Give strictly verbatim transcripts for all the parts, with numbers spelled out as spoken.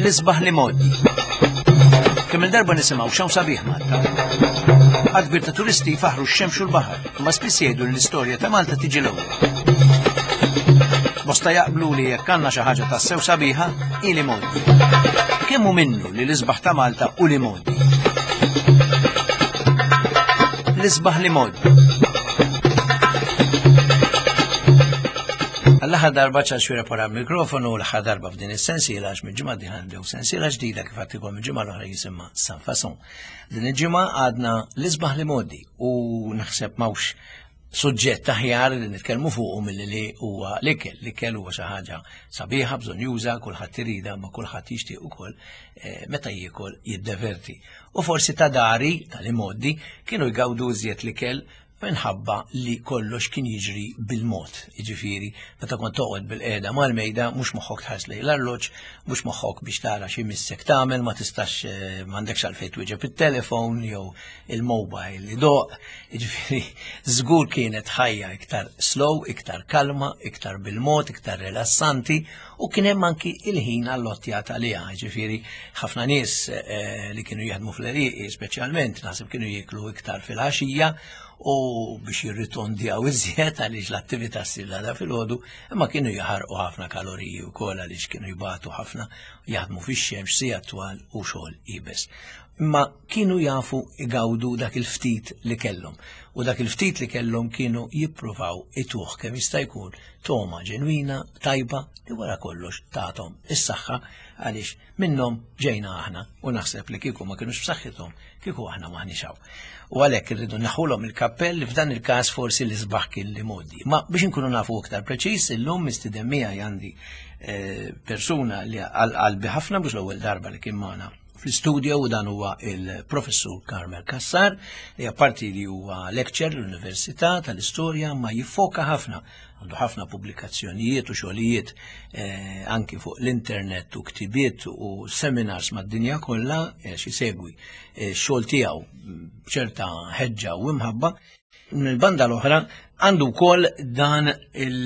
L-isbaħ l-imgħoddi. Kemm il-darba nisimgħu x'hawn sabiħ Malta. Għadd kbir ta' turisti jfaħru x-xemx u l-baħar, imma spiss jgħidu li l-istorja ta' Malta tiġi l-ewwel. Bosta jaqblu li jekk għandna xi ħaġa tassew sabiħa, hi l-imgħoddi. Kemm hu minnu li l-isbaħ ta' Malta hu l-imgħoddi? L-isbaħ l-imgħoddi. Għall-aħħar darba Charles Xuereb wara l-mikrofonu, l-aħħar darba f'din is-sensiela għax mill-ġimgħa d-dieħla nibdew sensiela ġdida kif għadtilkom il-ġimgħa l-oħra jisimha San Fason. Din il-ġimgħa għadna l-isbaħ l-imgħoddi u naħseb m'hawnx suġġett aħjar li nitkellmu fuqu milli li huwa l-ikel. L-ikel huwa xi ħaġa sabiħa, bżonjuża, kulħadd iridha, ma kulħadd jixtieq ukoll eh, meta jiekol jiddeverti. U forsi ta' dari tal-imgħoddi kienu jgawdu iżjed l-ikel minħabba li kollox kien jiġri bil-mod. Jiġifieri, meta kont toqgħod bil-qiegħda mal-mejda, mhux moħħok tħares lejn l-arloġġ, mhux moħħok biex tara xi missek tagħmel, ma tistax eh, m'għandekx għalfejn twieġeb it-telefon jew il-mobile li doq. Jiġifieri, żgur kienet ħajja iktar slow, iktar kalma, iktar bil-mod, iktar rilassanti u kien hemm anki il-ħin allottjat għaliha. Jiġifieri, ħafna nies eh, li kienu jaħdmu fl-għelieqi speċjalment naħseb kienu jieklu iktar fil-għaxija u biex jirritondjaw iżjed għaliex l-attività ssir l-għada filgħodu, imma kienu jaħarqu ħafna kaloriji wkoll għaliex kienu jbatu ħafna, jaħdmu fix-xemx sigħat twal u xogħol iebes. Imma kienu jafu igawdu dak il-ftit li kellhom u dak il-ftit li kellhom kienu jippruvaw ituh kemm jista' jkun toma ġenwina tajba li wara kollox tagħthom is-saħħa għaliex minnhom ġejna aħna u naħseb li kieku ma kinux b'saħħithom kieku aħna m'aħniex hawn. U għalhekk irridu naħulhom il-kappell li f'dan il-każ forsi l-isbaħ kien l-imgħoddi. Ma biex inkunu nafu iktar preċiż, illum mistieden miegħi għandi eh, persuna li għal qalbi ħafna mhux l-ewwel darba li kien magħna fl-studio u dan huwa il-professur Carmel Cassar li apparti li huwa lecturer l-Università tal-Istorja ma jiffoka ħafna għandu ħafna pubblikazzjonijiet u xogħlijiet eh, anki fuq l-internet u ktibiet u seminars mad-dinja kollha eh, xi segwi eh, xogħol tiegħu b'ċerta ħeġġa u imħabba. Mill-banda l-oħra għandu wkoll dan il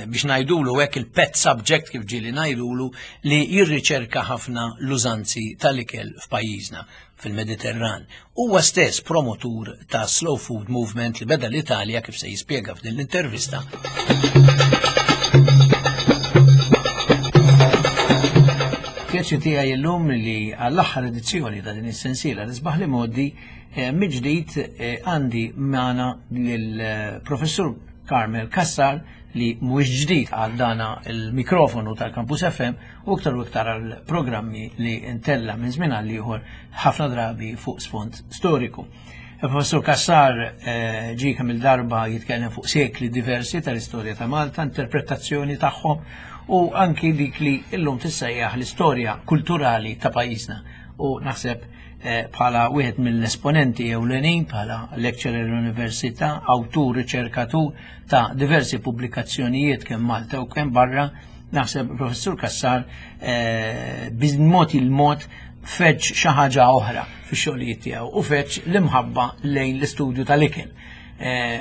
biex ngħidulu hekk il-pet subject kif ġieli ngħidulu li jirriċerka ħafna l-użanzi tal-ikel f'pajjiżna fil-Mediterran. Huwa stess promotur ta' Slow Food Movement li beda l-Italja kif se jispjega f'din l-intervista. Pjaċir tiegħi llum li għall-aħħar edizzjoni ta' din is-sensiela l-isbaħ l-imgħoddi mill-ġdid għandi magħna lill-Professur Carmel Cassar li mhuwiex ġdid għal dana il-mikrofonu tal-Campus F M u iktar u iktar għal programmi li ntella minn żmien għal ieħor ħafna drabi fuq sfond storiku. Il-Professur Cassar ġie kemm il-darba jitkellem fuq sekli diversi tal-istorja ta' Malta, interpretazzjoni tagħhom u anki dik li llum tissejjaħ l-istorja kulturali ta' pajjiżna. U naħseb bħala wieħed mill-esponenti ewlenin, bħala lecturer l-università, awtur, riċerkatur ta' diversi pubblikazzjonijiet kemm Malta u kemm barra, naħseb Professur Cassar b'mod il-mod feġġ xi ħaġa oħra fix-xogħlijiet tiegħu u feġġ l-imħabba lejn l-istudju tal-ikel.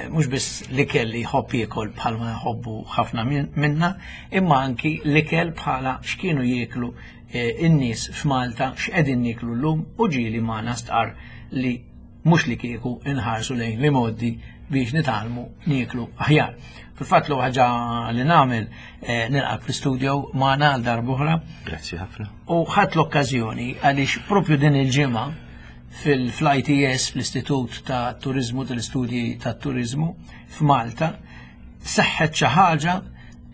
Mhux biss l-ikel li jħobb jiekol bħalma jħobbu ħafna minna, imma anki l-ikel bħala x'kienu jieklu in-nies f'Malta, x'qegħdin nieklu llum u ġieli magħna stqarr li mhux li kieku inħarsu lejn l-imgħoddi biex nitgħallmu nieklu aħjar. Fil-fatt l ħaġa li nagħmel nilqak fl-studio magħna għal darb'oħra. Grazzi ħafna. U ħadt l-okkażjoni għaliex propju din il-ġimgħa fil-I T S, fl-Istitut ta' Turizmu tal-Istudji ta' Turizmu f'Malta, seħħet xi ħaġa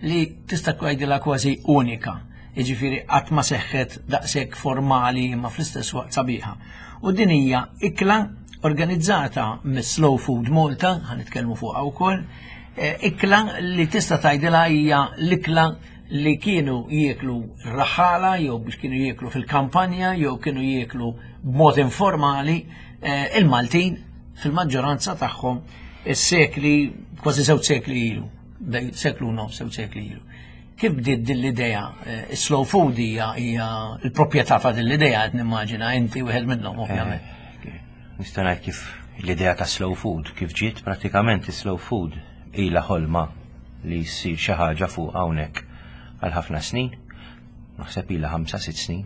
li tista' tgħidilha kważi unika. Jiġifieri qatt ma seħħet daqshekk formali imma fl-istess waqt sabiħa. U din hija ikla organizzata mis-Slow Food Malta, ħa nitkellmu fuqha wkoll, ikla li tista' tgħidilha hija l-ikla li kienu jieklu r-raħala jew biex kienu jieklu fil-kampanja jew kienu jieklu b'mod informali il-Maltin fil-maġġoranza tagħhom is-sekli kważi żewġ sekli ilu, seklu nofs, żewġ sekli ilu. Kif bdiet din l-idea? Slow food hija hija l-proprjetà ta' din l-idea qed nimmaġina inti wieħed minnhom ovvjament. Nista' ngħid kif l-idea ta' slow food kif ġiet pratikament slow food ilha ħolma li jsir xi ħaġa fuq hawnhekk għal ħafna snin, naħseb ilha ħamsa sitt snin.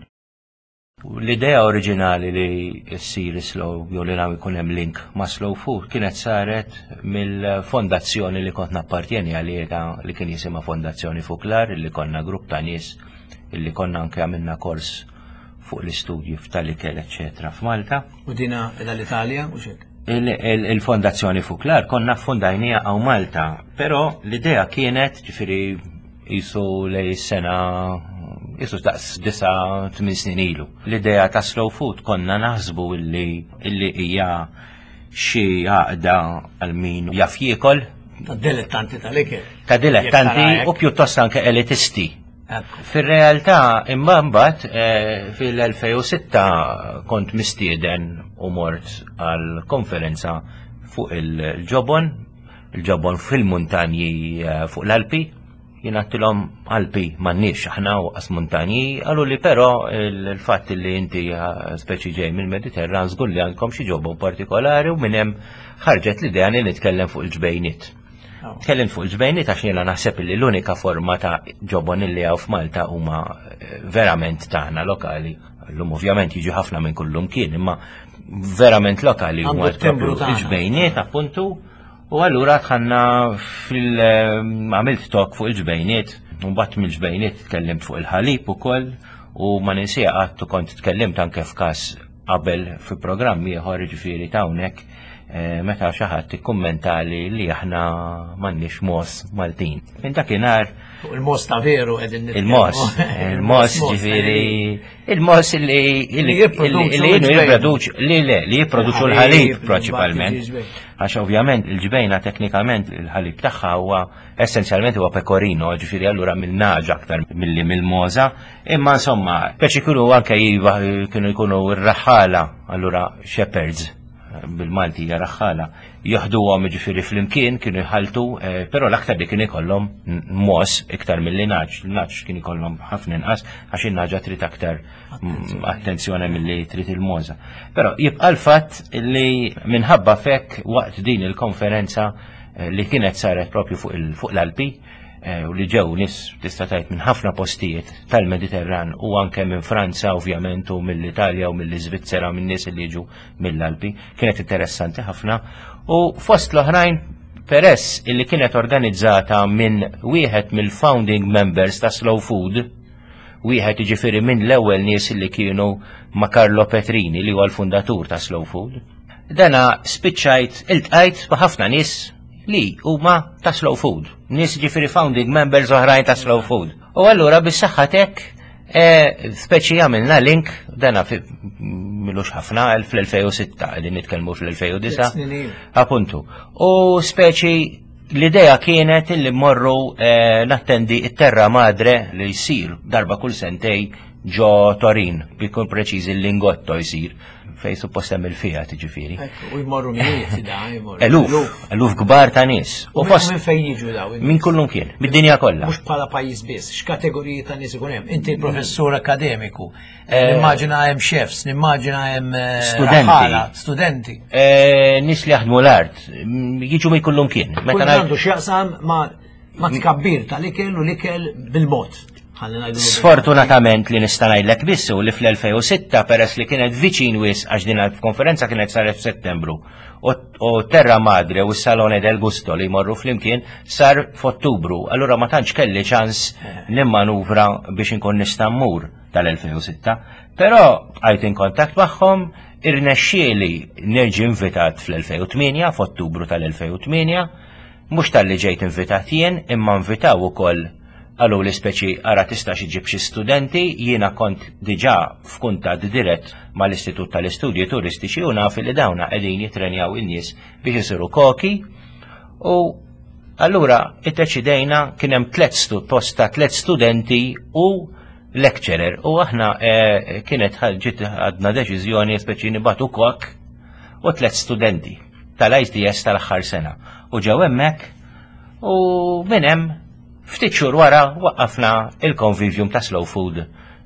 L-idea oriġinali li ssir slow jew li nagħmel ikun hemm link ma' slow food kienet saret mill-fondazzjoni li kont nappartjeni għaliha, li kien jisimha Fondazzjoni Fuklar, li konna grupp ta' nies illi konna anke għamilna kors fuq l-istudji tal-ikel, eċetera, f'Malta. U dina l-Italja u xek? Il-Fondazzjoni Fuklar konna fondajnieha hawn Malta, però l-idea kienet, ġifieri jisu lej sena jisu daqs disa tmien snin ilu. L-idea ta' slow food konna naħsbu illi illi hija xi għaqda għal min jaf jiekol. Ta' dilettanti tal-ikel. Ta' dilettanti u pjuttost anke elitisti. Fir-realtà, imma mbagħad eh, fil-elfejn u sitta kont mistieden u mort għal konferenza fuq il-ġobon, il-ġobon fil-muntanji eh, fuq l-Alpi. Jien għedtilhom Alpi m'għandniex aħna u qas muntanji, qalu li però il-fatt li inti eh, speċi ġej mill-Mediterran, żgur li għandkom xi ġobon partikolari, u minn hemm ħarġet l-idea li nitkellem fuq il-ġbejniet. Tkellim fuq il-ġbejniet għax jiena naħseb li l-unika forma ta' ġobon li hawn f'Malta huma eh, verament tagħna lokali. Llum ovvjament jiġu ħafna minn kullum kien, imma verament lokali huma Għandu t-timbru tagħna. il-ġbejniet appuntu. U allura dħalna fil għamilt talk fuq il-ġbejniet, u mbagħad mill-ġbejniet tkellimt fuq il-ħalib ukoll, u ma ninsieha qatt, kont tkellimt anke f'każ qabel fi programm ieħor, ġifieri ta' hawnhekk, eh, meta xi ħadd ikkummentali li aħna m'għandniex mogħoż Maltin. Minn dakinhar Fuq il-mogħoż ta' veru qegħdin nitkellmu. Il-mogħoż, il-mogħoż ġifieri, il-mogħoż li Li li jipproduċu li l-ġbejn. jipproduċu, li le, li jipproduċu Il-ħalib, l-ħalib prinċipalment. il-ġbejn. Għax ovvjament il-ġbejna teknikament il-ħalib tagħha huwa essenzjalment huwa pecorino, ġifieri allura mill-nagħaġ aktar milli mill-mogħża, imma insomma, speċi kienu anke jiva kienu jkunu r-raħħala, allura shepherds bil-Malti hija raħħala, joħduhom ġifieri flimkien kienu jħaltu, eh, però l-aktar li kien ikollhom mogħoż iktar milli nagħaġ. Il-nagħaġ kien ikollhom ħafna inqas għax in-nagħġa trid aktar mm, attenzjoni milli trid il-mogħża. Però jibqa' l-fatt li minħabba fek waqt din il-konferenza eh, li kienet saret propju fuq il- fuq l-Alpi, eh, u li ġew nies tista' tgħid minn ħafna postijiet tal-Mediterran u anke minn Franza ovvjament u mill-Italja u mill-Iżvizzera, minn nies li jiġu mill-Alpi, kienet interessanti ħafna, u fost l-oħrajn, peress illi kienet organizzata minn wieħed mill-founding members ta' Slow Food, wieħed jiġifieri minn l-ewwel nies li kienu ma' Carlo Petrini, li huwa l-fundatur ta' Slow Food. Dana spiċċajt iltqajt ma' ħafna nies li huma ta' Slow Food, nies ġifieri founding members oħrajn ta' Slow Food. U allura bis-saħħa tek eh, speċi għamilna link, dana fi m'ilux ħafna, fl-elfejn u sitta, qegħdin nitkellmu fl-elfejn u disa'. Snin ilu. Appuntu. U speċi l-idea kienet illi mmorru eh, nattendi it-Terra Madre li jsir darba kull sentejn ġo Torin, bikun preċiż il-Lingotto jsir, fej suppost hemm il-Fiat ġifieri. Ekku, u jmorru mijiet da, jmorru. Eluf, eluf kbar ta' nies. U U fost minn fejn jiġu daw? Minn kullum kien, mid-dinja kollha. Mhux bħala pajjiż biss, x'kategoriji ta' nies ikun hemm? Inti professur akademiku. Nimmaġina hemm chefs, nimmaġina hemm eh, Studenti. raħala, studenti. Eh, Nies li jaħdmu l-art, mm, jiġu minn kullum kien. Kull Meta ngħid għandu x'jaqsam ma' ma' tkabbir tal-ikel u l-ikel bil-mod. Ħalli ngħidu. Sfortunatament li nista' ngħidlek biss u li fl-elfejn u sitta, peress li kienet viċin wisq, għax din il-konferenza kienet saret f'Settembru u u Terra Madre u s-Salone del Gusto li jmorru flimkien sar f'Ottubru. Allura ma tantx kelli ċans nimmanuvra biex inkun nista' mmur tal-elfejn u sitta. Però bqajt in kontakt magħhom, irnexxieli nerġi invitat fl-elfejn u tmienja, f'Ottubru tal-elfejn u tmienja, mhux talli ġejt invitat jien, imma invitaw ukoll, qalu li speċi ara tista' iġġib xi studenti. Jiena kont diġà f'kuntatt dirett mal-Istitut tal-Istudji Turistiċi u naf li dawna qegħdin jitrenjaw in-nies biex isiru koki, u allura iddeċidejna, kien hemm tliet stu posta, tliet studenti u lecturer, u aħna eh, kienet ġiet għadna deċiżjoni speċi nibagħtu kok u tliet studenti tal-I T S tal-aħħar sena u ġew hemmhekk, u minn hemm ftit xhur wara waqqafna il-Convivium ta' Slow Food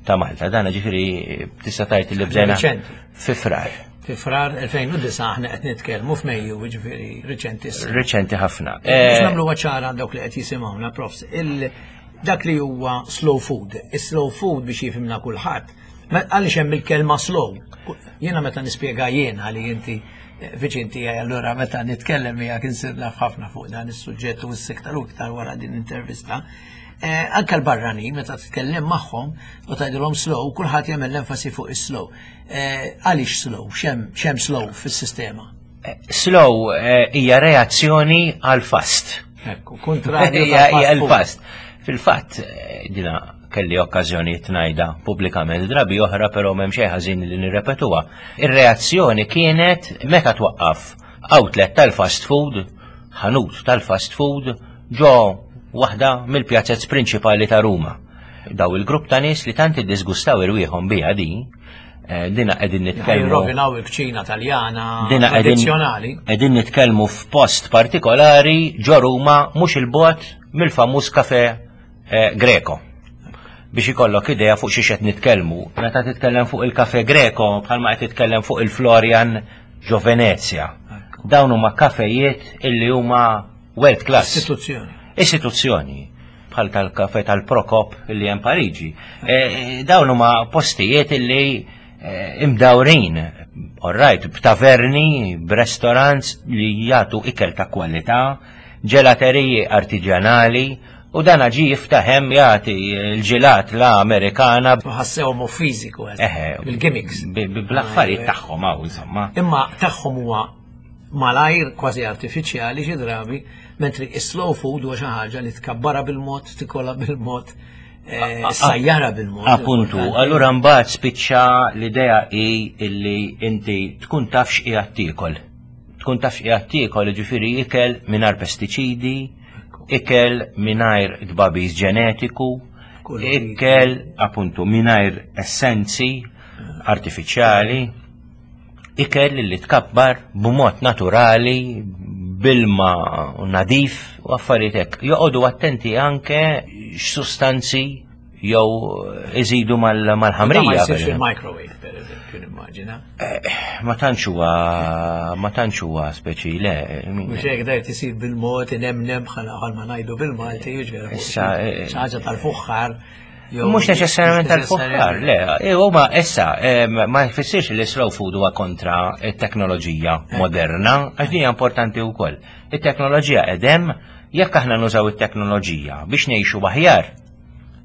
ta' Malta. Dana ġifieri tista' tgħid li bdejna Riċenti. fi Frar. Fi Frar elfejn u disa', aħna qed nitkellmu f'Mejju, ġifieri riċentissimo. Riċenti ħafna. Biex Eh, nagħmlu ċara dawk li qed jisimgħuna, profs, il dak li huwa slow food. Is-slow food, biex jifhimna kulħadd, Għaliex hemm il-kelma slow? Jiena meta nispjega jiena li inti viċin tiegħi, allura meta nitkellem miegħek insir naf ħafna fuq dan is-suġġett u s-iktar u iktar wara din l-intervista. Eh, anka l-barrani meta titkellem magħhom u tgħidilhom slow, kulħadd jagħmel l-enfasi fuq is-slow. Eh, għaliex slow? X'hemm slow fis-sistema? Eh, slow hija reazzjoni għal fast. Ekku, kontrarju. Hija l-fast. Fil-fatt, dina kelli okkażjoni ngħidha pubblikament drabi oħra, però m'hemm xejn ħażin li nirrepetuha. Ir-reazzjoni kienet meta twaqqaf outlet tal-fast food, ħanut tal-fast food, ġo waħda mill-pjazzez prinċipali ta' Ruma. Daw il-grupp ta' nies li tant iddisgustaw irwieħhom biha din, eh, dina qegħdin nitkellmu. Rovinaw il-kċina Taljana tradizzjonali. Qegħdin nitkellmu f'post partikolari ġo Ruma, mhux il-bogħod mill-famuż kafe eh, Greco. Biex ikollok idea fuq xiex qed nitkellmu. Meta titkellem fuq il-Kafe Greco, bħalma qed titkellem fuq il-Florian ġo Venezia. Dawn huma kafejiet illi huma world class. Istituzzjoni. Istituzzjoni. Bħal tal-kafe tal-Prokop illi hemm Pariġi. E, e, dawn huma postijiet illi e, imdawrin, all right, b'taverni, b'restaurants li jagħtu ikel ta' kwalità, ġelateriji artiġjanali, u dan ġi jiftaħem jagħti l-ġilat la Amerikana. Ħassewhom fiżiku, bil-gimmicks. Bl-affarijiet tagħhom hawn insomma. Imma tagħhom huwa malajr, kważi artifiċjali xi drabi, mentri is-slow food huwa xi ħaġa li tkabbara bil-mod, tikola bil-mod, eh, sajjara bil-mod. Appuntu, allura mbagħad spiċċa l-idea hi illi inti tkun taf x'qiegħed tiekol. Tkun taf x'qiegħed tiekol, ġifieri ikel mingħajr pestiċidi, ikel mingħajr tbabiż ġenetiku, ikel appuntu mingħajr essenzi artifiċjali, ikel li tkabbar b'mod naturali, bilma nadif u affarijiet hekk. Joqogħdu attenti anke x'sustanzi jew iżidu mal-ħamrija. Ma jsirx il-microwave, per eżempju, nimmaġina. Eh, ma tantx huwa ma tantx huwa speċi le. Mhux hekk dajt isir bil-mod inemnem bħal ma ngħidu bil-Malti, jiġifieri Issa, eh, xi ħaġa tal-fuħħar. Mhux neċessarjament tal-fuħħar, le, huma issa ma jfissirx li slow food huwa kontra t-teknoloġija moderna, għax din hija importanti wkoll. It-teknoloġija edem, jekk aħna nużaw it-teknoloġija biex ngħixu aħjar,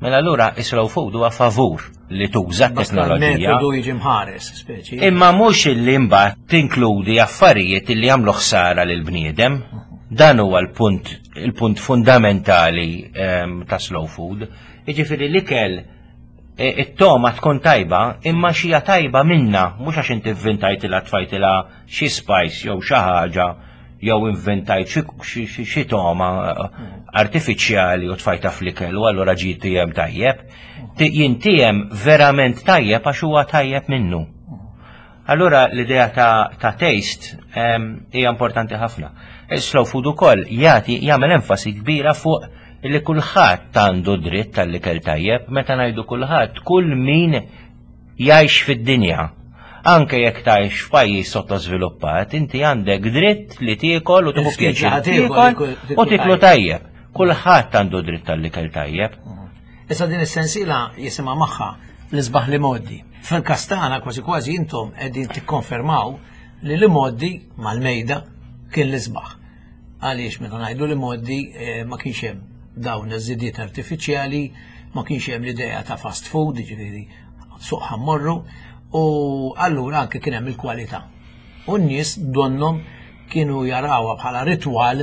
mela allura is-slow food huwa favur li tuża t-teknoloġija. Metodu jiġi mħares, speċi. Imma mhux illi mbagħad tinkludi affarijiet li jagħmlu ħsara lil bniedem. Dan huwa l-punt il-punt fundamentali ehm, ta' slow food. Jiġifieri l-ikel e, it-toma tkun tajba, imma xija tajba minna, mhux għax inti vvintajtilha, tfajtilha xi spice jew xi ħaġa jew inventajt xi toma eh, artifiċjali u tfajta fl-ikel u allura ġi tijem tajjeb. Jintijem verament tajjeb għax huwa tajjeb minnu. Allura l-idea ta', ta taste hija importanti ħafna. Slow food ukoll jagħti jagħmel enfasi kbira fuq li kulħadd għandu dritt tal-ikel tajjeb. Meta ngħidu kulħadd, kull min jgħix fid-dinja. Anke jekk tgħix f'pajjiż sottosviluppat, inti għandek dritt li tiekol u tieħu pjaċir tiekol u tiklu tajjeb. Kulħadd għandu dritt tal-ikel tajjeb. Issa din is-sensiela jisimha magħha l-isbaħ l-imgħoddi. Fil-kastana kważi kważi intom qegħdin tikkonfermaw li l-imgħoddi mal-mejda kien l-isbaħ. Għaliex meta ngħidu l-imgħoddi eh, ma kienx hemm dawn iż-żidiet artifiċjali, ma kienx hemm l-idea ta' fast food, ġifieri suq ħa mmorru, u allura anke kien hemm il-kwalità. U n-nies donnom kienu jarawha bħala ritwal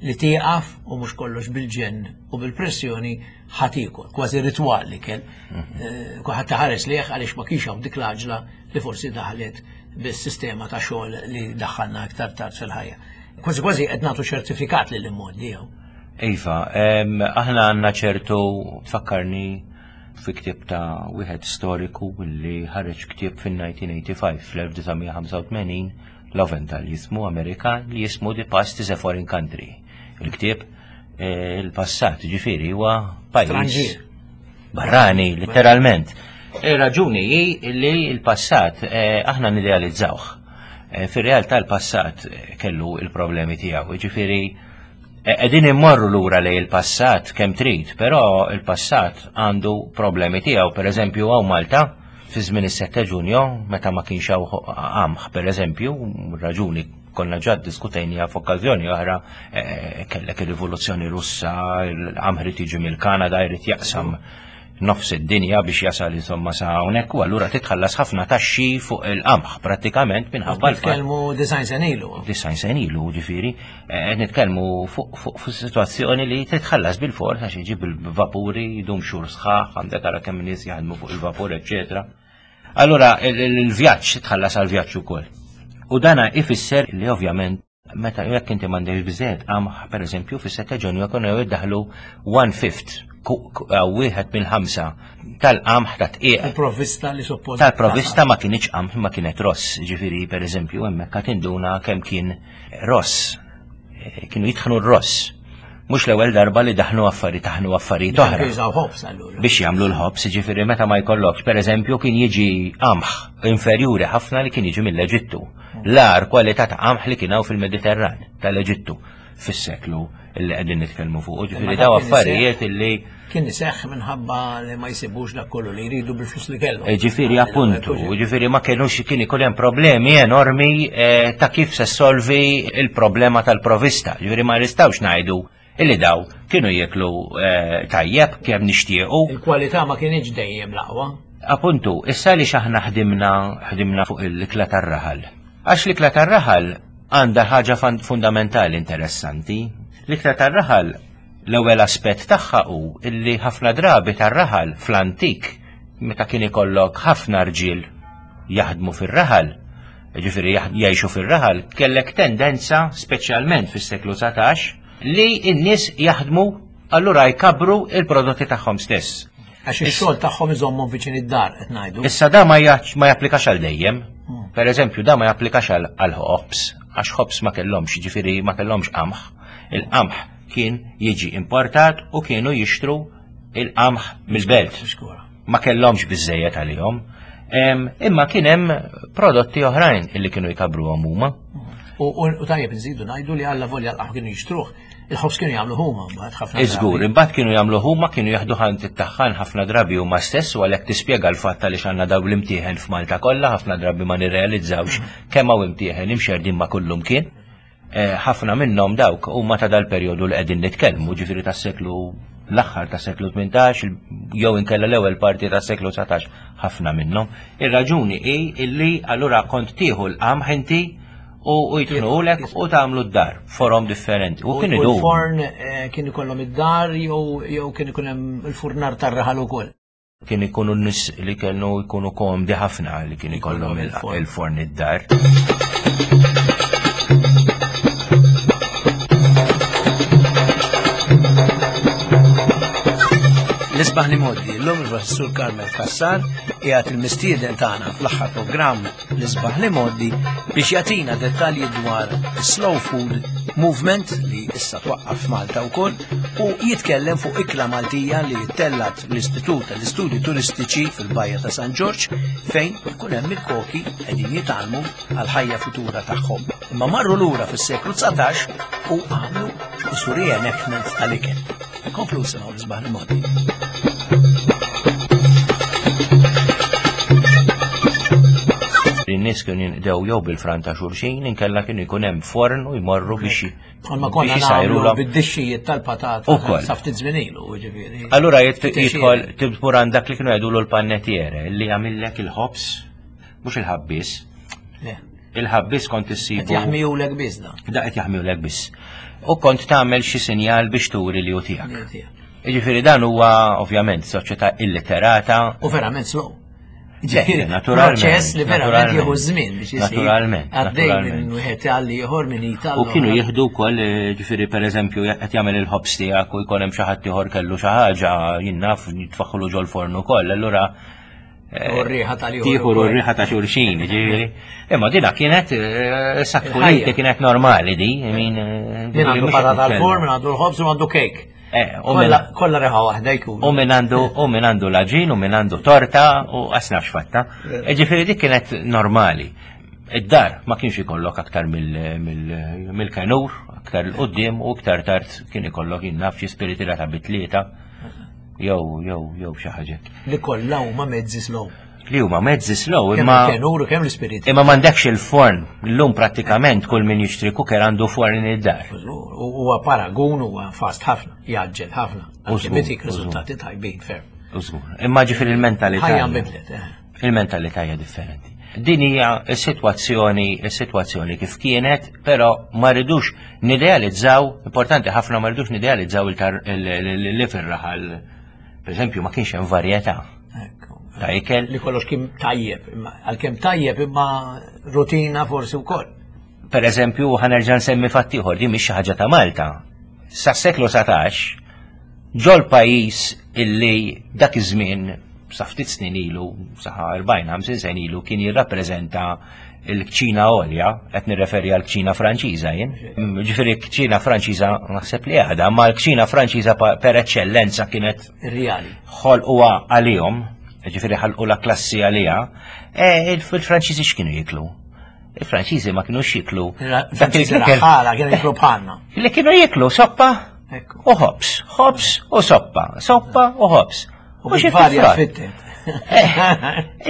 li tieqaf u mhux kollox bil-ġenn u bil-pressjoni ħa tiekol, kważi ritwal li kien. Eh, kulħadd ħares liħ għaliex ma kienx hawn dik l-għaġla li forsi daħlet bis-sistema ta' xogħol li daħħalna aktar tard fil-ħajja. Kważi kważi qed nagħtu ċertifikat lil immoddi jew. Iva, aħna għandna ċertu, tfakkarni fi ktieb ta' wieħed storiku li ħareġ ktieb fin-elf disa' mija ħamsa u tmenin, fl-elf disa' mija ħamsa u tmenin, Lowenthal jismu, Amerikan, li jismu The Past is a Foreign Country. Il-ktieb eh, il-passat ġifieri huwa pajjiż barrani, letteralment. Ir-raġuni hi li l-passat eh, aħna nidealizzawh. Eh, fir-realtà l-passat kellu il-problemi tiegħu, ġifieri qegħdin immorru lura lejn il-passat kemm trid, però il-passat għandu problemi tiegħu. Per eżempju, hawn Malta Fi żmien is-sette Ġunju, meta ma kienx hawn qamħ, pereżempju, raġuni konna ġa ddiskutejniha f'okkażjoni oħra, eh, kellek ir-rivoluzzjoni Russa, l-qamħ irid jiġi mill-Kanada, jrid jaqsam nofs id-dinja biex jasal insomma sa hawnhekk, u allura titħallas ħafna taxxi fuq il-qamħ prattikament minħabba l-fatt. Nitkellmu disgħin sena ilu. Disgħin sena ilu, ġifieri, eh, qed nitkellmu fuq, fuq, fuq situazzjoni li titħallas bil-fors għax jiġi bil-vapuri, jdum xhur sħaħ, għandek ara kemm nies jaħdmu fuq il-vapur, eċċetera. Allura il-, il-, il-vjaġġ titħallas għall-vjaġġ ukoll. U dana ifisser li ovvjament meta jekk inti m'għandekx biżejjed qamħ, pereżempju, fis-sette Ġunju kienu jiddaħlu one fifth, ku-, ku-, wieħed minn ħamsa tal-qamħ ta' tqiegħ. Il-provvista li suppost Tal-provvista ma kienx qamħ, ma kienet ross, ġifieri pereżempju hemmhekk qed tinduna kemm kien ross. Eh, kienu jitħnu r-ross. Mhux l-ewwel darba li daħnu affarijiet, taħnu affarijiet oħra. Biex jużaw ħobż allura. Biex jagħmlu l-ħobż, ġifieri meta ma jkollokx, pereżempju, kien jiġi qamħ inferjuri ħafna li kien jiġi mill-Eġittu. L-agħar kwalità ta' qamħ li kien hawn fil-Mediterran tal-Eġittu fis-seklu li qegħdin nitkellmu fuq. Ġifieri Imma daw dak kien affarijiet iseħħ illi kien iseħħ minħabba li ma jsibux dak kollu li jridu bil-flus li kellhom. Eh, ġifieri appuntu, ġifieri ma kienux kien ikun hemm problemi enormi, eh, ta' kif se solvi il-problema tal-provista. Ġifieri ma nistgħux ngħidu illi daw kienu jieklu, eh, tajjeb kemm nixtiequ. Il-kwalità ma kienx dejjem l-aqwa. Appuntu, issa li x'aħna ħdimna, ħdimna fuq l-ikla tar-raħal. Għax l-ikla tar-raħal għandha ħaġa fan-, fundamentali interessanti. L-ikla tar-raħal l-ewwel aspett tagħha hu illi ħafna drabi tar-raħal fl-antik meta kien ikollok ħafna rġiel jaħdmu fir-raħal, ġifieri jaħ-, jgħixu fir-raħal, kellek tendenza, speċjalment fis-seklu dsatax, li n-nies jaħdmu allura jkabru il-prodotti tagħhom stess. Għax ix-xogħol tagħhom iżommhom viċin id-dar qed ngħidu. Issa da ma jaċ-, ma japplikax għal dejjem. Hmm. Per eżempju, da ma japplikax għal, għal ħobż, għax ħobż ma kellhomx, ġifieri ma kellhomx qamħ. Il-qamħ kien jiġi importat u kienu jixtru il-qamħ mill-belt. Xkura. Ma kellhomx biżejjed għalihom. Em, imma kien hemm prodotti oħrajn illi kienu jkabruhom huma. U, u, u tajjeb nżidu ngħidu li alla volja l-qamħ kienu jixtruh, il-ħobż kienu jagħmlu huma mbagħad ħafna Iżgur, drabi. imbagħad kienu jagħmlu huma, kienu jaħdu ħant it-taħħan ħafna drabi huma stess, u għalhekk tispjega l-fatt għaliex għandna dawn l-imtieħen f'Malta kollha, ħafna drabi ma nirrealizzawx kemm hawn imtieħen imxerdin ma' kullum kien. Eh, ħafna minnhom dawk huma ta' dal-perjodu li qegħdin nitkellmu, ġifieri tas-seklu l-aħħar tas-seklu tmintax, jew inkella l-ewwel parti tas-seklu dsatax, ħafna minnhom. Ir-raġuni hi illi allura kont tieħu l-qamħ inti u, u jitħnulek u tagħmlu d-dar forom differenti. U U kien u idum. l-forn, eh, kien ikollhom id-dar jew, jew kien ikun hemm il-furnar tar-raħal ukoll. Kien ikunu n-nies li kienu jkunu komdi ħafna li kien ikollhom il-, Il-forn. il-forn id-dar. L-isbaħ li moddi, l-lum il-professur Carmel Cassar qiegħed il-mistieden tagħna fl-aħħar programm l-isbaħ li moddi biex jagħtina dettalji dwar slow food movement li issa twaqqaf f'Malta wkoll u jitkellem fuq ikla Maltija li ttellat l-Istitut tal-Istudji Turistiċi fil-Bajja ta' San Ġorġ fejn ikun hemm il-koki qegħdin jitgħallmu għall-ħajja futura tagħhom. Imma marru lura fis-seklu dsatax u għamlu isu reenactment tal-ikel. Komplu semaw l-isbaħ li moddi. In-nies kienu jinqdew jew bil-fran ta' xulxin, inkella kienu jkun hemm forn u jmorru biex j- Bħalma konna biex nagħmlu jisajrulhom. bid-dixxijiet tal-patata Ukoll. sa ftit żmien ilu, jiġifieri. Allura jit-, Ftit jidħol xejn. tibur għandak li kienu jgħidulu l-panettiere li jagħmillek il-ħobż, mhux il-ħabbies. Le. Il-ħabbies kont issibu. Qed jaħmijulek biss da. Da qed jaħmijulek biss. U kont tagħmel xi sinjal biex turi li hu tiegħek. Li hu tiegħek. Jiġifieri dan huwa ovvjament soċjetà illiterata. U verament slow. Le, Ġifieri, naturalment, proċess li verament naturalment. jieħu żmien biex isir. Naturalment, Għaddej naturalment. minn wieħed għal ieħor minn Italja. U kienu jieħdu wkoll, eh, ġifieri pereżempju qed jagħmel il-ħobż tiegħek u jkun hemm xi ħadd ieħor kellu xi ħaġa, jien naf, jitfaħħlu ġol-forn ukoll, allura, eh, U r-riħa tal-ieħor tieħu ukoll. r-riħa ta' xulxin, ġifieri. Imma dina kienet, eh, sakkuliti Il-ħajja. kienet normali di, I mean, eh, Min ġifieri għandu mhux patata qed nitkellmu. tal-forn, min għandu l-ħobż u għandu kejk. Eh, u Kolla min- kolla reħa waħda jkun. U min għandu, u min għandu l-aġin, u min għandu torta, u għasna x'fatta. Eh. Ġifieri dik kienet normali. Id-dar ma kienx ikollok aktar mill-, mill-, mill-kenur, aktar l-qoddim u aktar tard kien ikollok jien naf xi spiritila ta' bitlieta, jew, jew, jew xi ħaġa. Li kollha huma mezzi slow. Li huma mezzi slow, Kemm imma il-kenur u kemm l-ispiriti. imma m'għandekx il-forn. Illum prattikament kull min jixtri cooker għandu forn id-dar. U huwa paragun huwa fast ħafna, jgħaġġel ħafna. U Anke żgur, bitik u żgur. riżultati tajbin ferm. U żgur. Imma ġifieri il-mentalità. Ħajja nbidlet, eh. Il-mentalità hija differenti. Din hija s-sitwazzjoni, is-sitwazzjoni kif kienet, però ma rridux nidealizzaw, importanti ħafna ma rridux nidealizzaw il-tar- il- il- li fir-raħal. Per eżempju, ma kienx hemm varjetà Ekku. ta' ikel. Li kollox kien tajjeb, imma għalkemm tajjeb imma rutina forsi wkoll. Per eżempju, ħa nerġa' nsemmi fatt ieħor, din mhix xi ħaġa ta' Malta. Sa seklu satax, ġol pajjiż illi dak iż-żmien sa ftit snin ilu, sa erbgħin ħamsin sen ilu, kien jirrappreżenta il-kċina għolja, qed nirreferi għal kċina Franċiża jien. Ġifieri kċina Franċiża naħseb li għadha, ma l-kċina Franċiża pa- per eċċellenza kienet Ir-reali. ħolquha għalihom, ġifieri ħalqu la klassi għaliha, e, il-Franċiżi x'kienu jiklu? Il-Franċiżi ma kienux jiklu. Dak Franċiżi il-ikel raħala kienu jiklu bħalna. li kienu jiklu soppa Ekku. u ħobs, ħobs u soppa, soppa u ħobs. U xi bil-varja frat. fittet.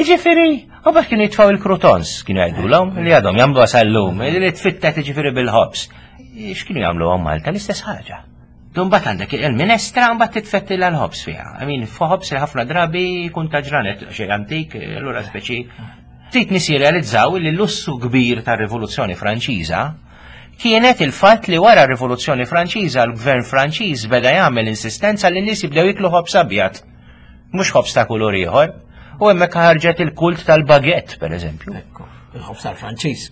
Ġifieri, u bak kienu jitfaw il-croutons, kienu jgħidulhom, li għadhom jagħmlu sal-lum, li tfittet ġifieri bil-ħobs. X'kienu jagħmlu għom Malta l-istess ħaġa. Mbagħad għandek il-minestra mbagħad titfetti l-ħobs fiha. I mean, ħobs li ħafna drabi jkun ta' ġranet xejn antik, allura speċi. Ftit nies jirrealizzaw li l-lussu kbir tar-Rivoluzzjoni Franċiża kienet il-fatt li wara r-Rivoluzzjoni Franċiża l-Gvern Franċiż beda jagħmel insistenza li n-nies jibdew jiklu ħobs abjad, mhux ħobs ta' kulur ieħor. U hemmhekk ħarġet il-kult tal-baguette, per eżempju. Ekku, il-ħobs tal-Franċiż.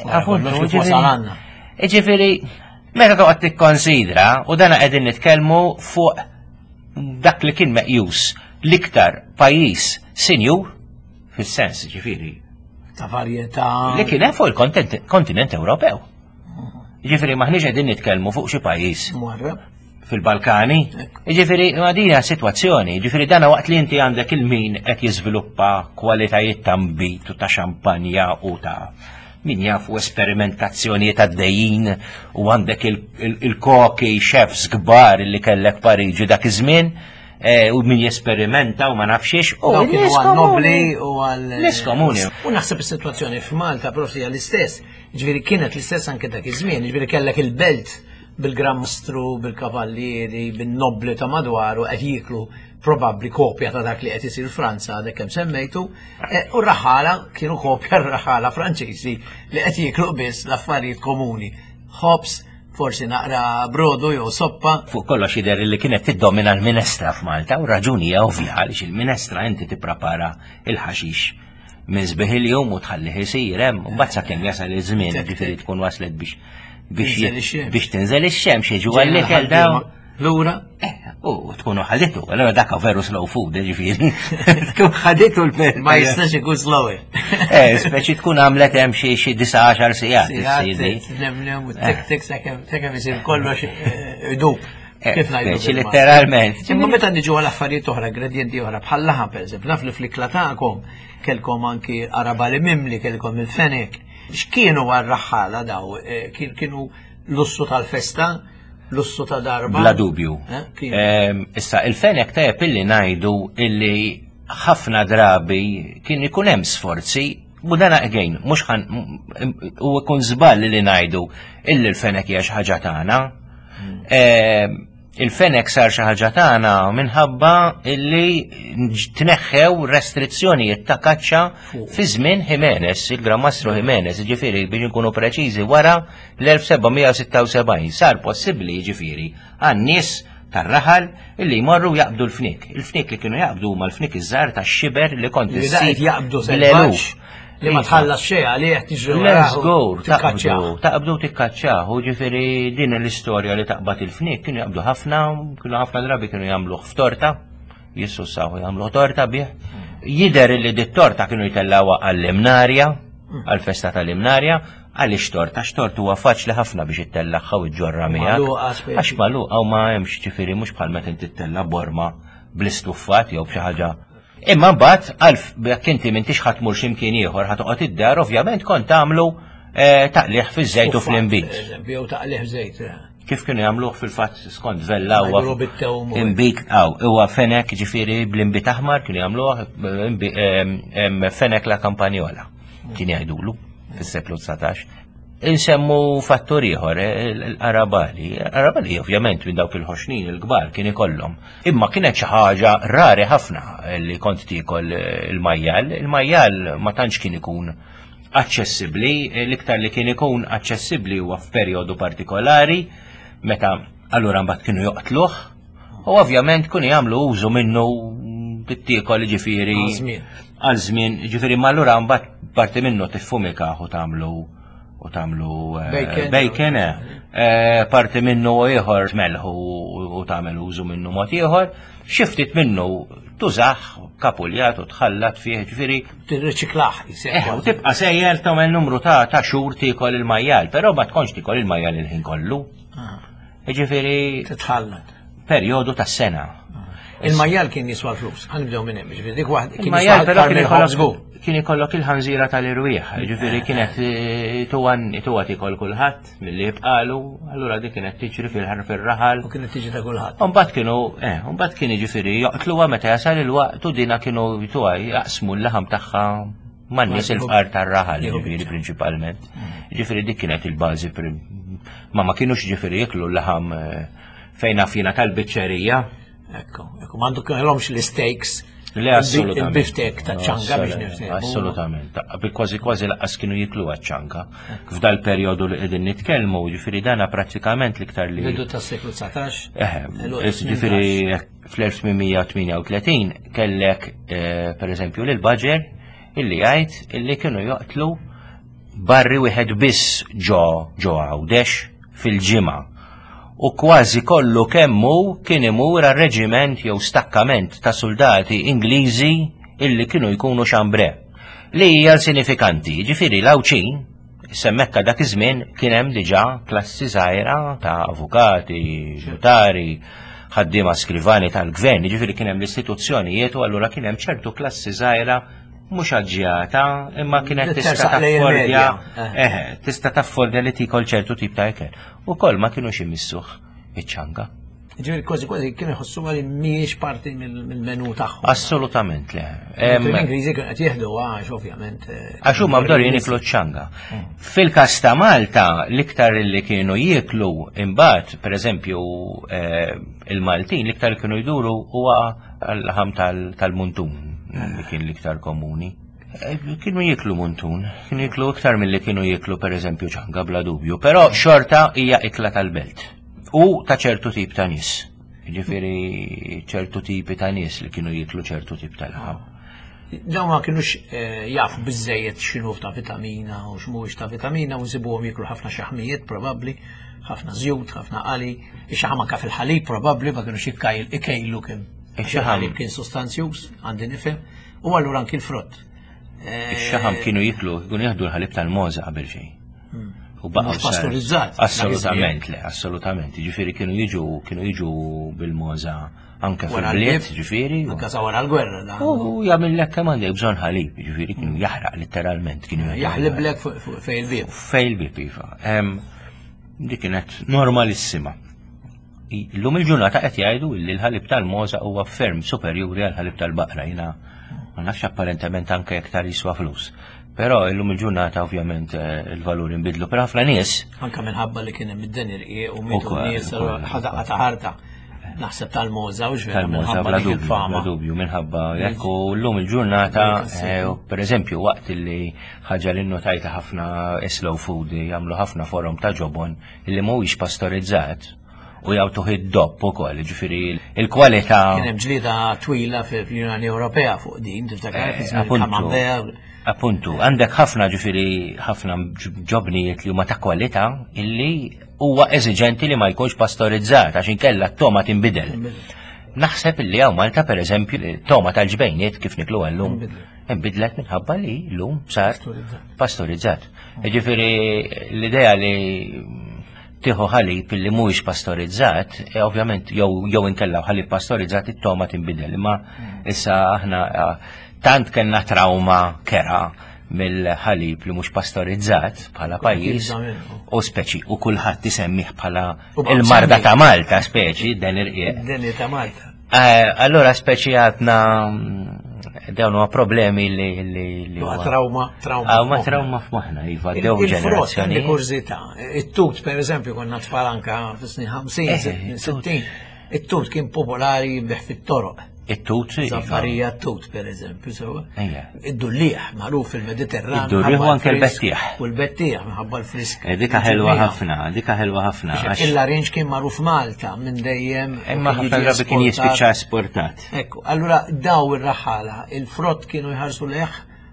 Appuntu, Kollox kif ġifieri- wasal għandna. Ġifieri, meta toqgħod tikkonsidra, u dana qegħdin nitkellmu fuq dak li kien meqjus l-iktar pajjiż sinjur, fis-sens ġifieri, Ta' varjetà. li kien hemm fuq il-kontinent Ewropew. Ġifieri maħniex qegħdin nitkellmu fuq xi pajjiż Mwarrab. fil-Balkani. Ġifieri, ma din hija sitwazzjoni, ġifieri dana waqt li inti għandek il-min qed jiżviluppa kwalitajiet ta' nbid u ta' xampanja u ta' min jaf u esperimentazzjonijiet għaddejjin u għandek il-koki chefs kbar li kellek Pariġi dak iż-żmien eh, u min jesperimenta u ma nafxiex u Dawk kienu n-nies għal nobli komuni. u għal. Nies komuni. U naħseb is-sitwazzjoni f'Malta proprju hija l-istess. Ġifieri kienet l-istess anke dak iż-żmien, ġifieri kellek il-belt bil-Gran Mastru, bil-kavallieri, bin-nobli ta' madwaru qed jiklu probabbli kopja ta' dak li qed isir Franza għadek kemm semmejtu, e, u r-raħala kienu kopja r-raħala Franċiżi li qed jiklu biss l-affarijiet komuni. Ħobs, forsi naqra brodu jew soppa. Fuq kollox jidher li kienet tiddomina l-minestra f'Malta u raġuni hija ovvja għaliex il-minestra inti tipprepara il-ħaxix minn sbieħ il-jum u tħallih isir hemm u mbagħad sakemm jasal iż-żmien ġifieri tkun waslet biex biex Tinżel ix-xemx. biex tinżel ix-xemx jiġu għall-ikel daw. Lura. Eh, U tkunu ħaditu, allora dak veru slow food, ġifieri. Tkun ħaditu l Ma jistax ikun slower. Eh, speċi tkun għamlet hemm xi xi disa għaxar sigħat is-sidi. Nemnem u tik tik sakemm sakemm isir kollox eh, idub. Eh, Kif ngħidu Speċi bil-Malti. letteralment. Imma meta niġu għal affarijiet oħra, ingredienti oħra, bħal laħam pereżempju, naf li fl-ikla tagħkom kellkom anki qarabagħli mimli, kellkom il-fenek. X'kienu għar-raħħala daw? Eh, kien- Kienu lussu tal-festa, lussu ta' darba? Bla dubju. Eh, kien. Ehm, Issa, il-fenek tajjeb illi ngħidu illi ħafna drabi kien ikun hemm sforzi u dana again, mhux ħan u ikun żball li ngħidu illi l-fenek hija xi ħaġa tagħna. Ehm, Il-fenek sar xi ħaġa tagħna minħabba illi tneħħew restrizzjonijiet ta' kaċċa fi żmien Jimenez, il-Gran Mastru Jimenez, ġifieri biex nkunu preċiżi wara l-elf seba' mija u sitta u sebgħin sar possibbli ġifieri għan-nies tar-raħal illi jmorru jaqbdu l-fnik. Il-fnik li kienu jaqbdu huma l-fnik iż-żgħar tax-xiber li kont Li da qed issib jaqbdu bl-eluf. selvaġġ li ma tħallas xejn għalih tiġri Let's warah u go, tikkaċċjah. taqbdu, taqbdu tikkaċċjah, u ġifieri din l-istorja li taqbad il-fnik kienu jaqbdu ħafna, kienu ħafna drabi kienu jagħmluh f'torta, jissussaw jagħmluh torta bih. Jider li dit torta kienu jtellawha għall-imnarja, għall-festa tal-imnarja, għaliex torta, x'tort huwa faċli ħafna biex ittellagħha u ġġorra miegħek. Magħluqa speċi. Għax magħluqa u ma hemmx ġifieri mhux bħal meta inti ttella' borma bl-istuffat jew b'xi ħaġa. Imma mbagħad għalf jekk inti m'intix ħa tmur x'imkien ieħor ħa toqgħod id-dar, ovvjament kont tagħmlu eh, taqliħ fiż-żejt u fl-inbid. Eżempju, jew taqliħ żejt. eh. Kif kienu jagħmluh fil-fatt skont Vella huwa Jgħidulu bit-tewm u- Inbid aw huwa fenek, ġifieri bl-inbid aħmar kienu jagħmluh imbi- em, em, fenek la kampanjola kien jgħidulu fis-seklu dsatax. Insemmu fattur ieħor, eh, il-qarabagħli. Qarabagħli ovvjament minn dawk il-ħoxnin il-kbar kien ikollhom. Imma kienet xi ħaġa rari ħafna li kont tiekol eh, il-majjal. Il-majjal ma tantx kien ikun aċċessibbli, l-iktar li kien ikun aċċessibbli huwa f'perjodu partikolari, meta allura mbagħad kienu joqtluh, u ovvjament kienu jagħmlu użu minnu bit-tiekol, ġifieri Għal żmien. Għal żmien, ġifieri, ma allura mbagħad parti minnu tiffumika u tagħmlu u tagħmlu eh, Bacon. Bacon, eh. Eh, parti minnu ieħor tmelħu u tagħmel użu minnu mod ieħor, xi ftit minnu tużah kapuljat u tħallat fih, ġifieri Tirriċiklaħ. Eh, u tibqa' sejjer tagħmel numru ta' ta' xhur tiekol il-majjal, però ma tkunx tiekol il-majjal il-ħin kollu. Ġifieri Titħallat. perjodu ta' sena. Il-majjal kien jiswa l-flus, ħa nibdew minn hemm, ġifieri dik waħd kien Il-majjal jiswa però aktar kien minn ikollok żgur. Kien ikollok il-ħanżira tal-irwieħ, ġifieri kienet eh, tuwan tuwa tikol kulħadd milli jibqalu, allura dik kienet tiġri fil-ħar fir-raħal. U kienet tiġi ta' kulħadd. Umbagħad kienu, eh, umbagħad kien ġifieri joqtluha meta jasal il-waqt u dina kienu tuwa jaqsmu l-laħam tagħha man-nies il-fqar tar-raħal, Jieħu ġifieri biċċa. prinċipalment. Ġifieri dik kienet il-bażi prim- ma ma kienux ġifieri jiklu l-laħam eh, fejn afina tal-biċċerija. Ekku, ekku, m'għandu kellhomx l-steaks. Le, assolutament. Il-biftek ta' ċanga biex niftehmu. Assolutament. Kważi kważi lanqas kienu jiklu ċanga. F'dal perjodu li qegħdin nitkellmu, ġifieri dana prattikament l-iktar li. Bidu tas-seklu dsatax. Eh, ġifieri fl-elf tmien mija u tmienja u tletin kellek eh, per eżempju lil Budger illi jgħid illi kienu joqtlu barri wieħed biss ġo ġo Għawdex fil-ġimgħa. U kważi kollu kemmu kien imur għal reġiment jew stakkament ta' soldati Ingliżi illi kienu jkunu Chambray. Li hija sinifikanti, ġifieri l-Għawdxin semmekka dak iż-żmien kien hemm diġà klassi żgħira ta' avukati, notari, ħaddiema skrivani tal-gvern, ġifieri kien hemm l-istituzzjonijiet u allura kien hemm ċertu klassi żgħira mhux aġġjata, imma kienet Li tista' tersaq lejn taffordja, il-medja. eh, tista' taffordja li tikol ċertu tip ta' ikel. U koll ma kienux imissuh iċ-ċanga. Ġifieri kważi kważi kienu jħossu li mhijiex parti mill- mill-menu tagħhom. Assolutament le. Em, L-Ingliżi kienu qed jieħdu għax ovvjament. eh, Għax huma mdorrijin jiklu ċanga. Fil-kas ta' Malta, l-iktar li kienu jieklu imbagħad, per eżempju, eh, il-Maltin, l-iktar li kienu jduru huwa l-laħam tal- tal-muntun, li kien l-iktar komuni. Eh, Kienu jiklu muntun, kienu jiklu iktar mill-li kienu jiklu per eżempju ċanga, bla dubju, però xorta hija ikla tal-belt. U ta' ċertu tip ta' nies. Ġifieri ċertu tipi ta' nies li kienu jiklu ċertu tip ta' laħam. Dawn ma kienux eh, jafu biżejjed x'inhu ta' vitamina u x'mhuwiex ta' vitamina u nsibuhom jiklu ħafna xaħmijiet probabbli, ħafna żjut, ħafna qali, ix-xaħam anka fil-ħalib probabbli ma kienux jikkajl ikejlu kemm. Ix-xaħam. Il-ħalib kien sostanzjuż, għandi nifhem, u allura anki l-frott. Eh, Ix-xaħam kienu jiklu, kienu jieħdu l-ħalib tal-mogħża qabel xejn. U baqgħu Mhux sar- pastorizzat. Assolutament, le, assolutament. Ġifieri kienu jiġu, kienu jiġu bil-mogħża anke Wara fil-bliet, l-bib, ġifieri. Anka sa wara l-gwerra dan. U jagħmillek kemm għandek bżonn ħalib, ġifieri kienu jaħraq letteralment, kienu Jaħliblek fuq- fuq fejn il-bieb. Fejn il-bieb, iva. Em, Dik kienet normalissima. Illum il-ġurnata qed jgħidu li l-ħalib tal-mogħża huwa ferm superjuri għal ħalib tal-baqra. Jiena ma nafx, apparentement anke iktar jiswa flus. Però illum il-ġurnata ovvjament eh, il-valur inbidlu. Però ħafna nies Anka minħabba li kien hemm id-deni rqiq u mietu Ukoll, nies ukoll, ħadaqa ta' ħarta. Naħseb tal-mogħża u x'vera tal-mogħża minħabba bla dik dubju, bla il-fama. dubju, minħabba jekk u llum il-ġurnata, Dik eh, per eżempju, waqt li ħaġa li notajta ħafna slow food jagħmlu ħafna forom ta' ġobon illi mhuwiex pastorizzat u jagħtuh id-dopp ukoll, ġifieri il-kwalità. Kien hemm ġlieda twila fil-Unjoni Ewropea fuq din, tiftakar Eh, fi żmien appuntu. Camembert. Appuntu, għandek ħafna, ġifieri ħafna ġobnijiet li huma ta' kwalità illi huwa eżiġenti li ma jkunx pastorizzat għax inkella t-toma tinbidel. Naħseb illi hawn Malta, per eżempju, toma tal-ġbejniet kif niklu llum inbidlet minħabba li llum sar pastorizzat. Ġifieri l-idea li tieħu ħalib illi mhuwiex pastorizzat, e ovvjament jew jew inkella ħalib pastorizzat it-toma tinbidel, imma issa aħna eh, tant kellna trauma kera mill-ħalib li mhux pastorizzat bħala pajjiż u speċi u kulħadd isemmih bħala il-marda ta' Malta speċi dan irqiq. Den ta' Malta. Eh, allora speċi għadna mm, dawn huwa problemi li li li huwa trauma trauma. Ah, ma trauma f'moħħna, iva, dew ġenerazzjoni. Kurżità. It-tut pereżempju konna tfal anka fis-snin ħamsin, Eh, sittin. It-tut kien popolari jinbigħ fit-toroq. It-tut, iva. Zaffarija t-tut, per eżempju, sewa. Ejja. Id-dullieħ, magħruf fil-Mediterran. Id-dullieħ u minħabba anke l-frisk. l-bettieħ. U l-bettieħ, minħabba l-frisk. Eh, Dika ħelwa ħafna, dika ħelwa ħafna. għax- Il-larinġ kien magħruf Malta minn dejjem. u Imma kien ħafna jiġi drabi kien esportat. jispiċċa esportat. Ekku, allura daw ir-raħala, il-frott kienu jħarsu leħ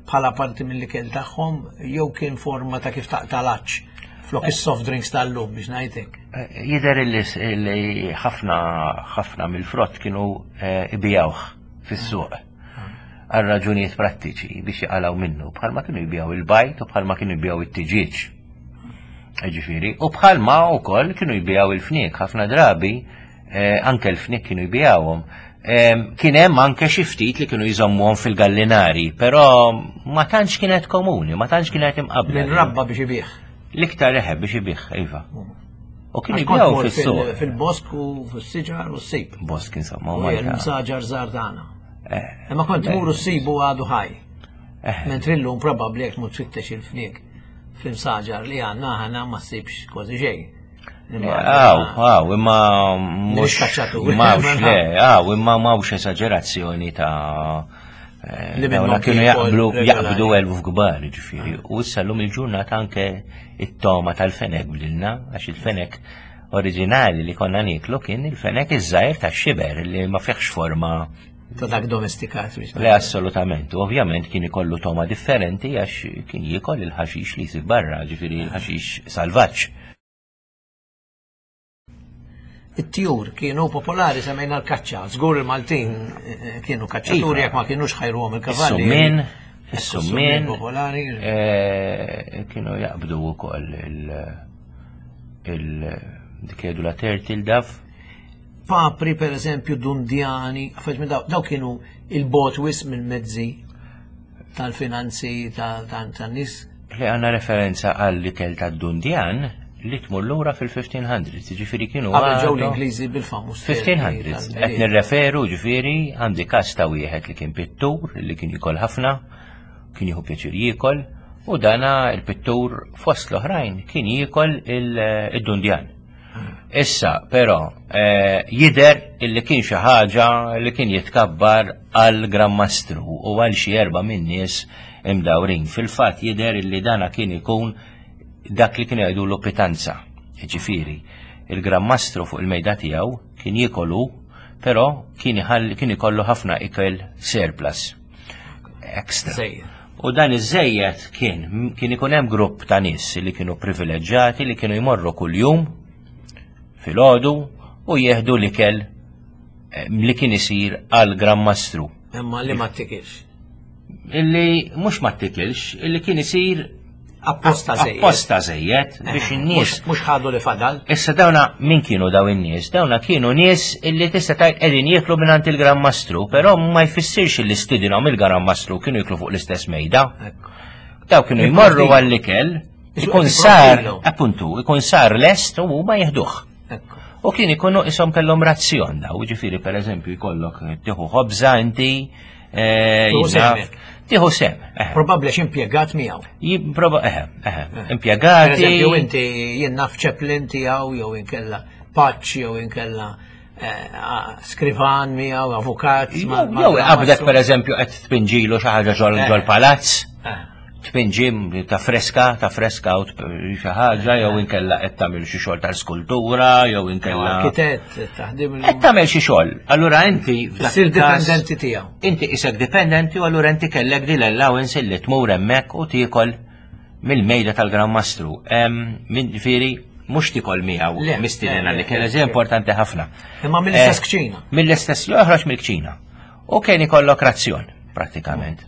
bħala parti mill-ikel tagħhom jew kien forma ta' kif taqtalaċ flok is-soft drinks tal-lum biex ngħidlek. Eh, Jidher li s- li ħafna ħafna mill-frott kienu eh, ibijawh fis-suq għal raġunijiet prattiċi biex jaqalaw minnu, bħalma kienu jbijaw il-bajd u bħalma kienu jbijaw it-tiġieġ. Ġifieri, u bħalma wkoll kienu jbijaw il-fniek, ħafna drabi eh, anke l-fniek kienu jbijawhom. Em, Kien hemm anke xi ftit li kienu jżommuhom fil-gallinari, però ma tantx kienet komuni, ma tantx kienet imqabbla. Minn rabba biex ibih. L-iktar eħe biex ibih, iva. U kienu Għax kont jbijaw mort fis-suq. fil- Fil-bosk u fis-siġar u s-sib. Bosk insomma, U u Malta. l-msaġar żgħar tagħna. Eh, Imma kont tmur u ssibu għadu ħaj. eh, Mentri llum probabbli jekk tmur tfittex il-fniek fl-imsaġar li għandna aħna ma ssibx kważi xejn. Aw, aw, imma mhux kaċċaturi. mawx le, aw, imma mawx esaġerazzjoni ta' eh, Li dawna minnhom kienu kiekol jaqblu regolari. jaqbdu eluf kbar, ġifieri. U issa llum il-ġurnata anke it-toma tal-fenek bdilna, għax il-fenek oriġinali li konna niklu kien il-fenek iż-żgħir tax-xiber li ma fihx forma Ta' dak domestikat biex Le, assolutament. U Ovvjament kien ikollu toma differenti għax kien jiekol il-ħaxix li jsib barra, ġifieri il-ħaxix salvaġġ. It-tjur kienu popolari semmejna l-kaċċa. Żgur il-Maltin eh, kienu kaċċaturi Iva. jekk ma kienux ħajruhom il-kavalli. Is-summien, Ekku, is-summien popolari. eh, kienu jaqbdu wkoll il il dik jgħidu la turtle dove. Papri per eżempju dundjani, affarijiet minn daw, daw kienu il-bot wis mill-mezzi tal-finanzi tan-nies. Li għandna referenza għall-ikel tad-dundjan li tmur lura fil-fifteen hundreds, ġifieri kienu Qabel ġew għadhom- l-Ingliżi bil-famuż. fifteen hundreds. Qed nirreferu ġifieri għandi każ ta' wieħed li kien pittur li kien jikol ħafna, kien jieħu pjaċir jiekol, u dana il-pittur fost l-oħrajn kien jiekol il- id-dundjan. Issa, però, eh, jider illi kien xi ħaġa li kien jitkabbar għal Gran Mastru u għal xi erba' minn nies imdawrin. Fil-fatt jider illi dana kien ikun dak li kien jgħidulu pitanza. Ġifieri, il-Gran Mastru fuq il-mejda tiegħu kien jiekolu, però kien iħalli kien ikollu ħafna ikel surplus. Extra. Żejjed. U dan iż-żejjed kien kien ikun hemm grupp ta' nies li kienu privileġġjati li kienu jmorru kuljum filgħodu u jieħdu l-ikel eh, li kien isir għal Gran Mastru. Imma li ma ttikilx. Illi mhux ma ttikilx, illi kien isir Apposta żejjed. apposta żejjed biex in-nies Mhux ħadu li fadal. Issa dawna min kienu daw in-nies? Dawna kienu nies illi tista' tgħid qegħdin jieklu mingħand il-Gran Mastru, però ma jfissirx li stidinhom il-Gran Mastru kienu jieklu fuq l-istess mejda. Ekku. Daw kienu jmorru għall-ikel, ikun Isu- sar, qed appuntu, ikun sar lest u huma jieħduh. Ekku. U kien ikunu isom kellhom razzjon daw, ġifieri per eżempju jkollok tieħu ħobża inti, eh, Tieħu jien naf, semek. tieħu sem, eh. Probabbli għax impjegat miegħu. Jibproba, eh, eh, Per impjegati. eżempju inti jien naf chaplain tiegħu jew inkella paċ jew inkella eh, skrivan miegħu, avukat. ma- ma- Jew ma- qabdek per eżempju qed tpinġilu xi ħaġa ġol Eh. ġol palazz, Eh, tpinġi ta' freska, ta' freska u xi ħaġa jew inkella qed tagħmel xi xogħol tal-skultura jew jew inkella arkitett, taħdim il- qed tagħmel xi xogħol. Allura inti f'dak Issir il-każ- dipendenti tiegħu. Inti isek dipendenti u allura inti kellek din l-allowance li tmur hemmhekk u tiekol mill-mejda tal-Gran Mastru. Em, Min ġifieri mhux tikol miegħu Le, mistiedna le, li le, kien le, eżempju importanti ħafna. Imma mill-istess Eh, kċina. Mill-istess joħroġ mill-kċina. U kien ikollok razzjon, prattikament.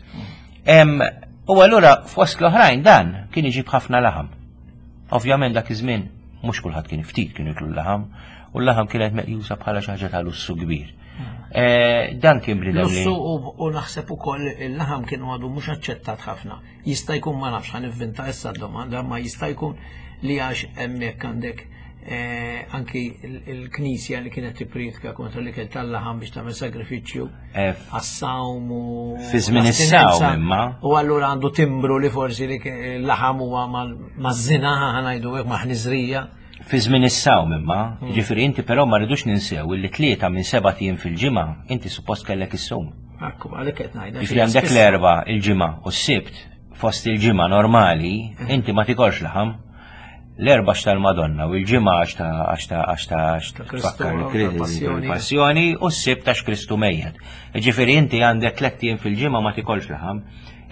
Em, U allura fost l-oħrajn dan kien iġib ħafna laħam. Ovvjament dak iż-żmien mhux kulħadd kien ftit kienu jiklu l-laħam, u l-laħam kienet meqjusa bħala xi ħaġa ta' lussu kbir. Eh, dan kien bniedem li. Lussu u naħseb ukoll il-laħam kienu għadu mhux aċċettat ħafna. Jista' jkun, ma nafx, ħa nivvinta issa d-domanda, ma jista' jkun li għax hemmhekk għandek eh, anki il-knisja li kienet tippriedka kontra l-ikel tal-laħam biex tagħmel sagrifiċċju Eh, għas-sawm u Fi żmien is-sawm imma. U allura għandu timbru li forsi li l-laħam huwa maż-żina, ħa ngħidu hekk, ma' ħniżrija. Fi żmien is-sawm imma, ġifieri inti però ma rridux ninsew illi tlieta minn seba' ijiem fil-ġimgħa inti suppost kellek issum. Ekku, għalhekk qed ngħidha. Ġifieri għandek l-Erbgħa, il-Ġimgħa u s-Sibt, fost il-ġimgħa normali, inti ma tikolx laħam. L-Erbgħa għax tal-Madonna u l-Ġimgħa għax ta' għax ta' għax ta' għax Ta' Kristu, tfakkar ta' passjoni. il-passjoni u s-Sibt għax Kristu mejjet. Ġifieri inti għandek tliet ijiem fil-ġimgħa ma tikolx laħam.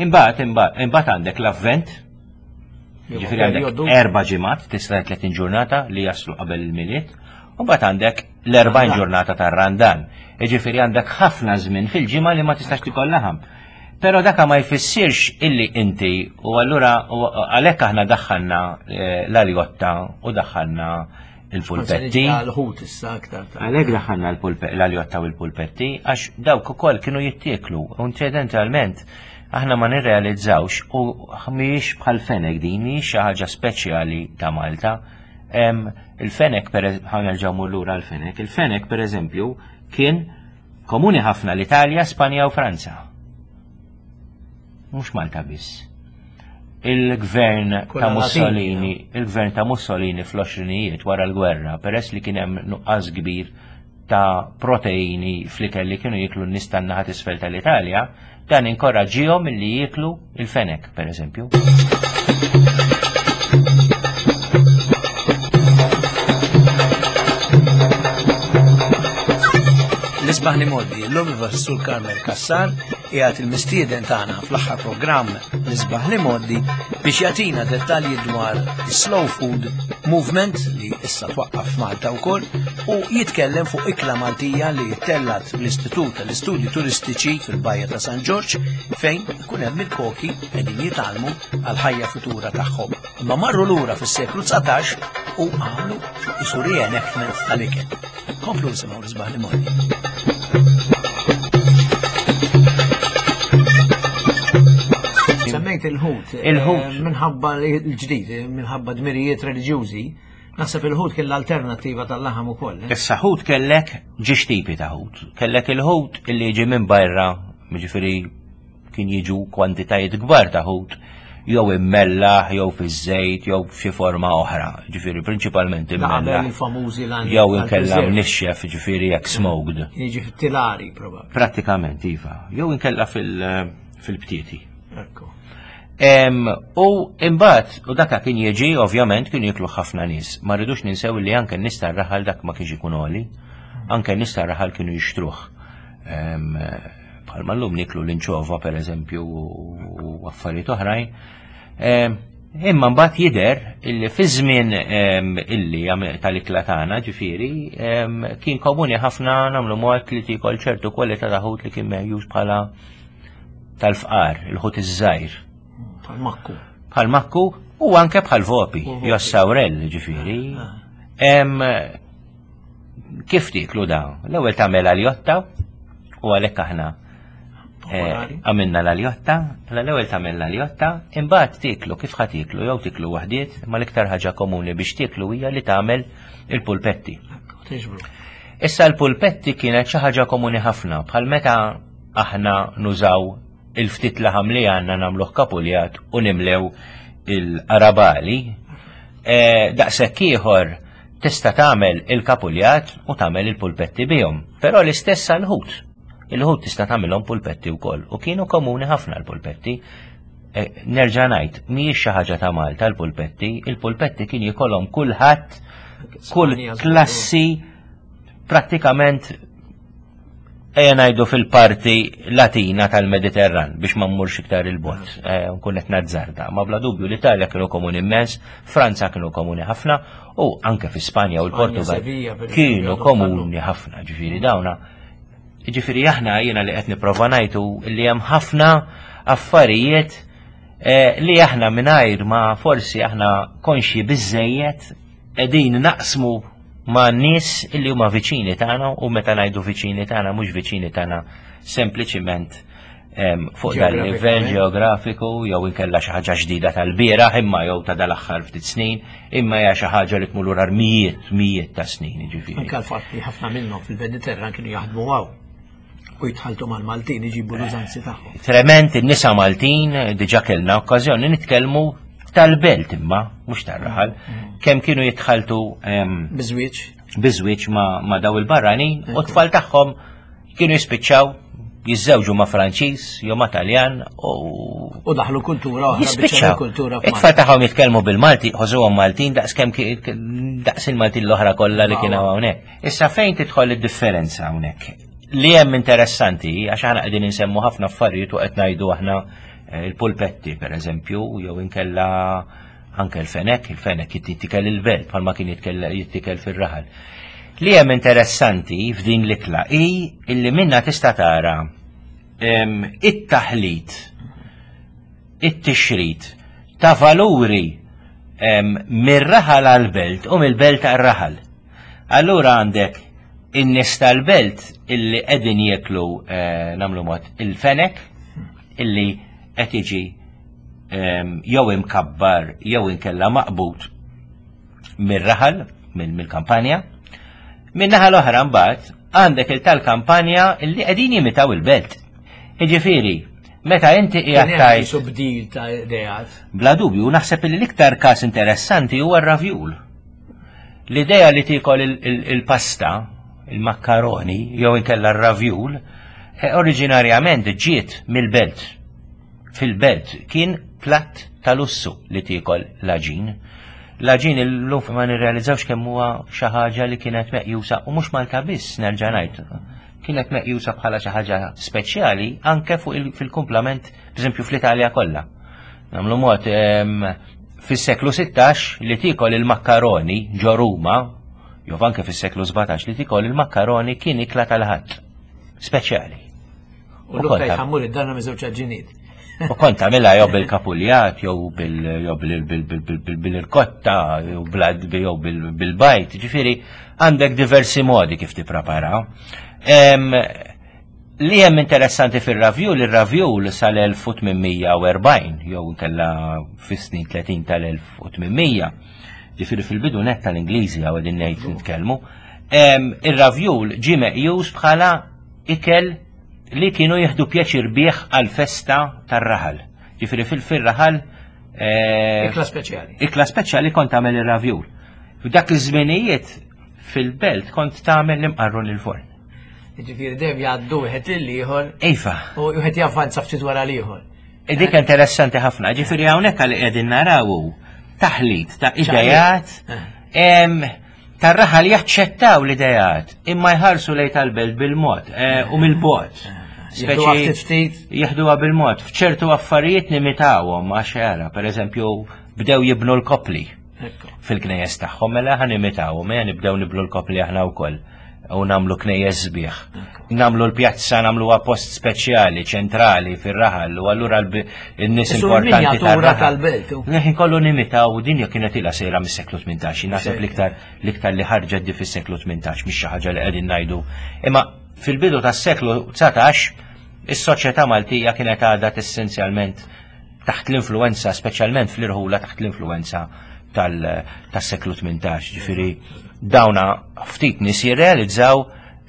Imbagħad imbagħad imbagħad għandek l-Avvent, ġifieri għandek erba' ġimgħat, tista' tletin ġurnata li jaslu qabel il-Milied, u mbagħad għandek l-erbgħin ġurnata tar-Randan. Ġifieri għandek ħafna żmien fil-ġimgħa li ma tistax tikol laħam. Però daka ma jfissirx illi inti, u allura u għalhekk aħna daħħalna eh, l-aljotta u daħħalna il-pulpetti. Għal-ħut issa aktar ta' Għalhekk daħħalna l-pulpe- l-aljotta u l-pulpetti, għax dawk ukoll kienu jittieklu. U incidentalment aħna ma nirrealizzawx, u mhijiex bħal fenek din, mhijiex xi ħaġa speċjali ta' Malta. Em, Il-fenek, per ħa nerġgħu mmur lura l-fenek, il-fenek per eżempju kien komuni ħafna l-Italja, Spanja u Franza. Mhux Malta biss. Il-gvern ta' Kollha Mussolini, il-gvern ta' Mussolini fl-għoxrinijiet wara l-gwerra, peress li kien hemm nuqqas kbir ta' proteini fl-ikel li kienu jiklu n-nies tan-naħa t'isfel tal-Italja, dan inkoraġġihom li jiklu il-fenek, per eżempju. L-isbaħ l-imgħoddi, l-lum il-Sur Carmel Cassar qiegħed il-mistieden tagħna fl-aħħar programm l-isbaħ l-imgħoddi biex jagħtina dettalji dwar slow food movement li issa twaqqaf f'Malta wkoll u jitkellem fuq ikla Maltija li tellat l-Istitut tal-Istudji Turistiċi fil-Bajja ta' San Ġorġ fejn ikun hemm il-koki qegħdin jitgħallmu għal ħajja futura tagħhom. Imma marru lura fis-seklu dsatax u għamlu isu reenactment tal-ikel. Komplu nisimgħu l-isbaħ l-imgħoddi. Semmejt il-ħut. Il-ħut. Eh, minħabba l-ġdid, eh, minħabba dmirijiet reliġjużi, naħseb il-ħut kien l-alternattiva tal-laħam ukoll. eh? Issa ħut kellek ġiex tipi ta' ħut. Kellek il-ħut illi jiġi minn barra, jiġifieri kien jiġu kwantitajiet kbar ta' ħut, jew immellaħ, jew fiż-żejt, jew f'xi forma oħra. Ġifieri prinċipalment Da qabel immellaħ. il-famużi l Jew inkella mnixxef, ġifieri jekk smoked. Jiġi fit-tilari probabbli. Prattikament, iva. Jew inkella fil- fil-btieti. Ekku. Em, u imbagħad, u daka kien jiġi, ovvjament, kien jiklu ħafna nies. Ma rridux ninsew li anke n-nies tar-raħal dak ma kienx ikun għoli, anke n-nies tar-raħal kienu jixtruh. Em, Bħalma llum niklu l-inċova, per eżempju, u affarijiet oħrajn. Em, Imma mbagħad jidher illi fi żmien em, illi għam- tal-ikla tagħna, ġifieri, em, kien komuni ħafna nagħmlu mod li tikol ċertu kwalità ta' ħut li kien meħjuż bħala tal-fqar, il-ħut iż-żgħir. Bħal-makku. Bħal makku u anke bħal vopi, U vopi. jew sawrell, ġifieri. Ah. Em, Kif tiklu da? L-ewwel tagħmel aljotta u għalhekk aħna eh, Popolari. għamilna l-aljotta, l-ewwel tagħmel l-aljotta, imbagħad tiklu kif ħa tiklu, jew tiklu waħdiet, ma l-iktar ħaġa komuni biex tiklu hija li tagħmel il-pulpetti. Ekku, tiġbru. Issa l-pulpetti kienet xi ħaġa komuni ħafna, bħal meta aħna nużaw il-ftit laħam li għandna nagħmluh kapuljat u nimlew il-qarabali. E, daqshekk ieħor tista' tagħmel il-kapuljat u tagħmel il-pulpetti bihom. Però l-istess għall-ħut. Il-ħut tista' tagħmilhom pulpetti wkoll u kienu komuni ħafna l-pulpetti. E, nerġa' ngħid, mhijiex xi ħaġa ta' Malta l-pulpetti, il-pulpetti kien jikolhom kulħadd, kull Spanja, żgur. klassi prattikament ejja ngħidu fil-parti Latina tal-Mediterran biex ma mmurx iktar il-bot, eh, nkun qed nazzarda. Ma bla dubju l-Italja kienu komuni immens, Franza kienu komuni ħafna u anke fi Spanja u Spanja, l-Portugal Sevilla, per eżempju, kienu għadhom komuni ħafna, ġifieri dawna. Ġifieri aħna jiena li qed nipprova ngħidu li hemm ħafna affarijiet eh, li aħna mingħajr ma forsi aħna konxji biżejjed qegħdin naqsmu ma' nies illi huma viċini tagħna, u meta ngħidu viċini tagħna mhux viċini tagħna sempliċiment fuq dal livell ġeografiku jew inkella xi ħaġa ġdida tal-bieraħ imma jew ta' dal-aħħar ftit snin, imma hija xi ħaġa li tmur lura mijiet mijiet ta' snin, jiġifieri. Anke l-fatt li ħafna minnhom fil-Mediterran kienu jaħdmu hawn u jitħaltu mal-Maltin iġibu l-użanzi tagħhom. Trement in-nisa Maltin diġà kellna okkażjoni nitkellmu tal-belt imma mhux tar-raħal, kemm kienu jitħaltu biżwieġ biżwieġ ma' daw il-barranin u t-tfal tagħhom kienu jispiċċaw jiżżewġu ma' Franċiż jew ma' Taljan u u daħlu kultura oħra, jispiċċaw. Kultura It-tfal tagħhom jitkellmu bil-Malti, ħosuhom Maltin daqs kemm daqs il-Maltin l-oħra kollha li kienu hawnhekk. Issa fejn tidħol id-differenza hawnhekk? Li hemm interessanti, għax aħna qegħdin insemmu ħafna affarijiet u qed ngħidu aħna il-pulpetti pereżempju, jew inkella anke l-fenek, il-fenek jittikel il-belt bħalma kien jittikel fir-raħal. Li hemm interessanti f'din l-ikla hi illi minna tista' tara it-taħlit, it-tixrid ta' valuri mir-raħal għal-belt u mill-belt għar-raħal. Allura għandek in-nies tal-belt illi qegħdin jieklu nagħmlu mod il-fenek illi qed jiġi jew imkabbar jew inkella maqbud mir-raħal, mill-kampanja. Min-naħa l-oħra mbagħad għandek il tal-kampanja illi qegħdin jimitaw il-belt. Jiġifieri, meta inti qiegħed tgħid bdil ta' ideat. Bla dubju, naħseb li l-iktar każ interessanti huwa r-ravjul. L-idea li tiekol il-pasta, il-makkaroni, jew inkella r-ravjul, oriġinarjament ġiet mill-belt. Fil-belt kien platt ta' lussu li tiekol l-aġin. L-aġin illum ma nirrealizzawx kemm huwa xi ħaġa li kienet meqjusa, u mhux Malta biss nerġa' ngħid, kienet meqjusa bħala xi ħaġa speċjali anke fuq fil-kumplament, pereżempju fl-Italja kollha. Nagħmlu mod fis-seklu sittax li tiekol il-makkaroni ġo Ruma, jew anke fis-seklu sbatax li tiekol il-makkaroni kien ikla tal-ħadd speċjali. U l-lum jħammur id-darna miż-żewġ aġiniet. U kont tagħmilha jew bil-kapuljat, jew bil-irkotta, jew bil-bajt, ġifieri għandek diversi modi kif tipprepara. Li hemm interessanti fir-ravjul, ir-ravjul sal-elf u tmien mija u erbgħin, jew inkella fis-snin tletin tal-elf u tmien mija, ġifieri fil-bidu nett tal-Ingliżi hawn qegħdin ngħid nitkellmu, ir-ravjul ġie meqjus bħala ikel li kienu jieħdu pjaċir bih għal-festa tar-raħal. Ġifieri fil-raħal Ikla speċjali. Ikla speċjali kont tagħmel ir-ravjul. F'dak iż-żminijiet fil-belt kont tagħmel l-imqarrun il-forn. Ġifieri dejjem jgħaddu wieħed lil ieħor. Iva. U wieħed javvanza ftit wara l-ieħor. Dik interessanti ħafna. Ġifieri hawnhekk li qegħdin naraw taħlit ta' idejat tar-raħal jaċċettaw l-idejat imma jħarsu lejn tal-belt bil-mod u mill-bogħod. Speċi jieħduha bil-mod. F'ċertu affarijiet nimitawhom għax ara, pereżempju bdew jibnu l-kopli fil-knejjes tagħhom, mela ħa nimitawhom, mela nibdew nibnu l-kopli aħna wkoll u nagħmlu knejjes sbieħ. Nagħmlu l-pjazza, nagħmluha post speċjali, ċentrali fir-raħal, u allura n-nies importanti tal-belt. Ħin kollu nimitaw, u dinja kienet ilha sejra mis-seklu tmintax, naħseb l-iktar l-iktar li ħarġet di fis-seklu tmintax, mhix xi ħaġa li qegħdin ngħidu. Imma fil-bidu tas-seklu dsatax, is-soċjetà Maltija kienet għadha essenzjalment taħt l-influenza, speċjalment fl-irħula taħt l-influenza tas-seklu tmintax. Ġifieri dawna ftit nies jirrealizzaw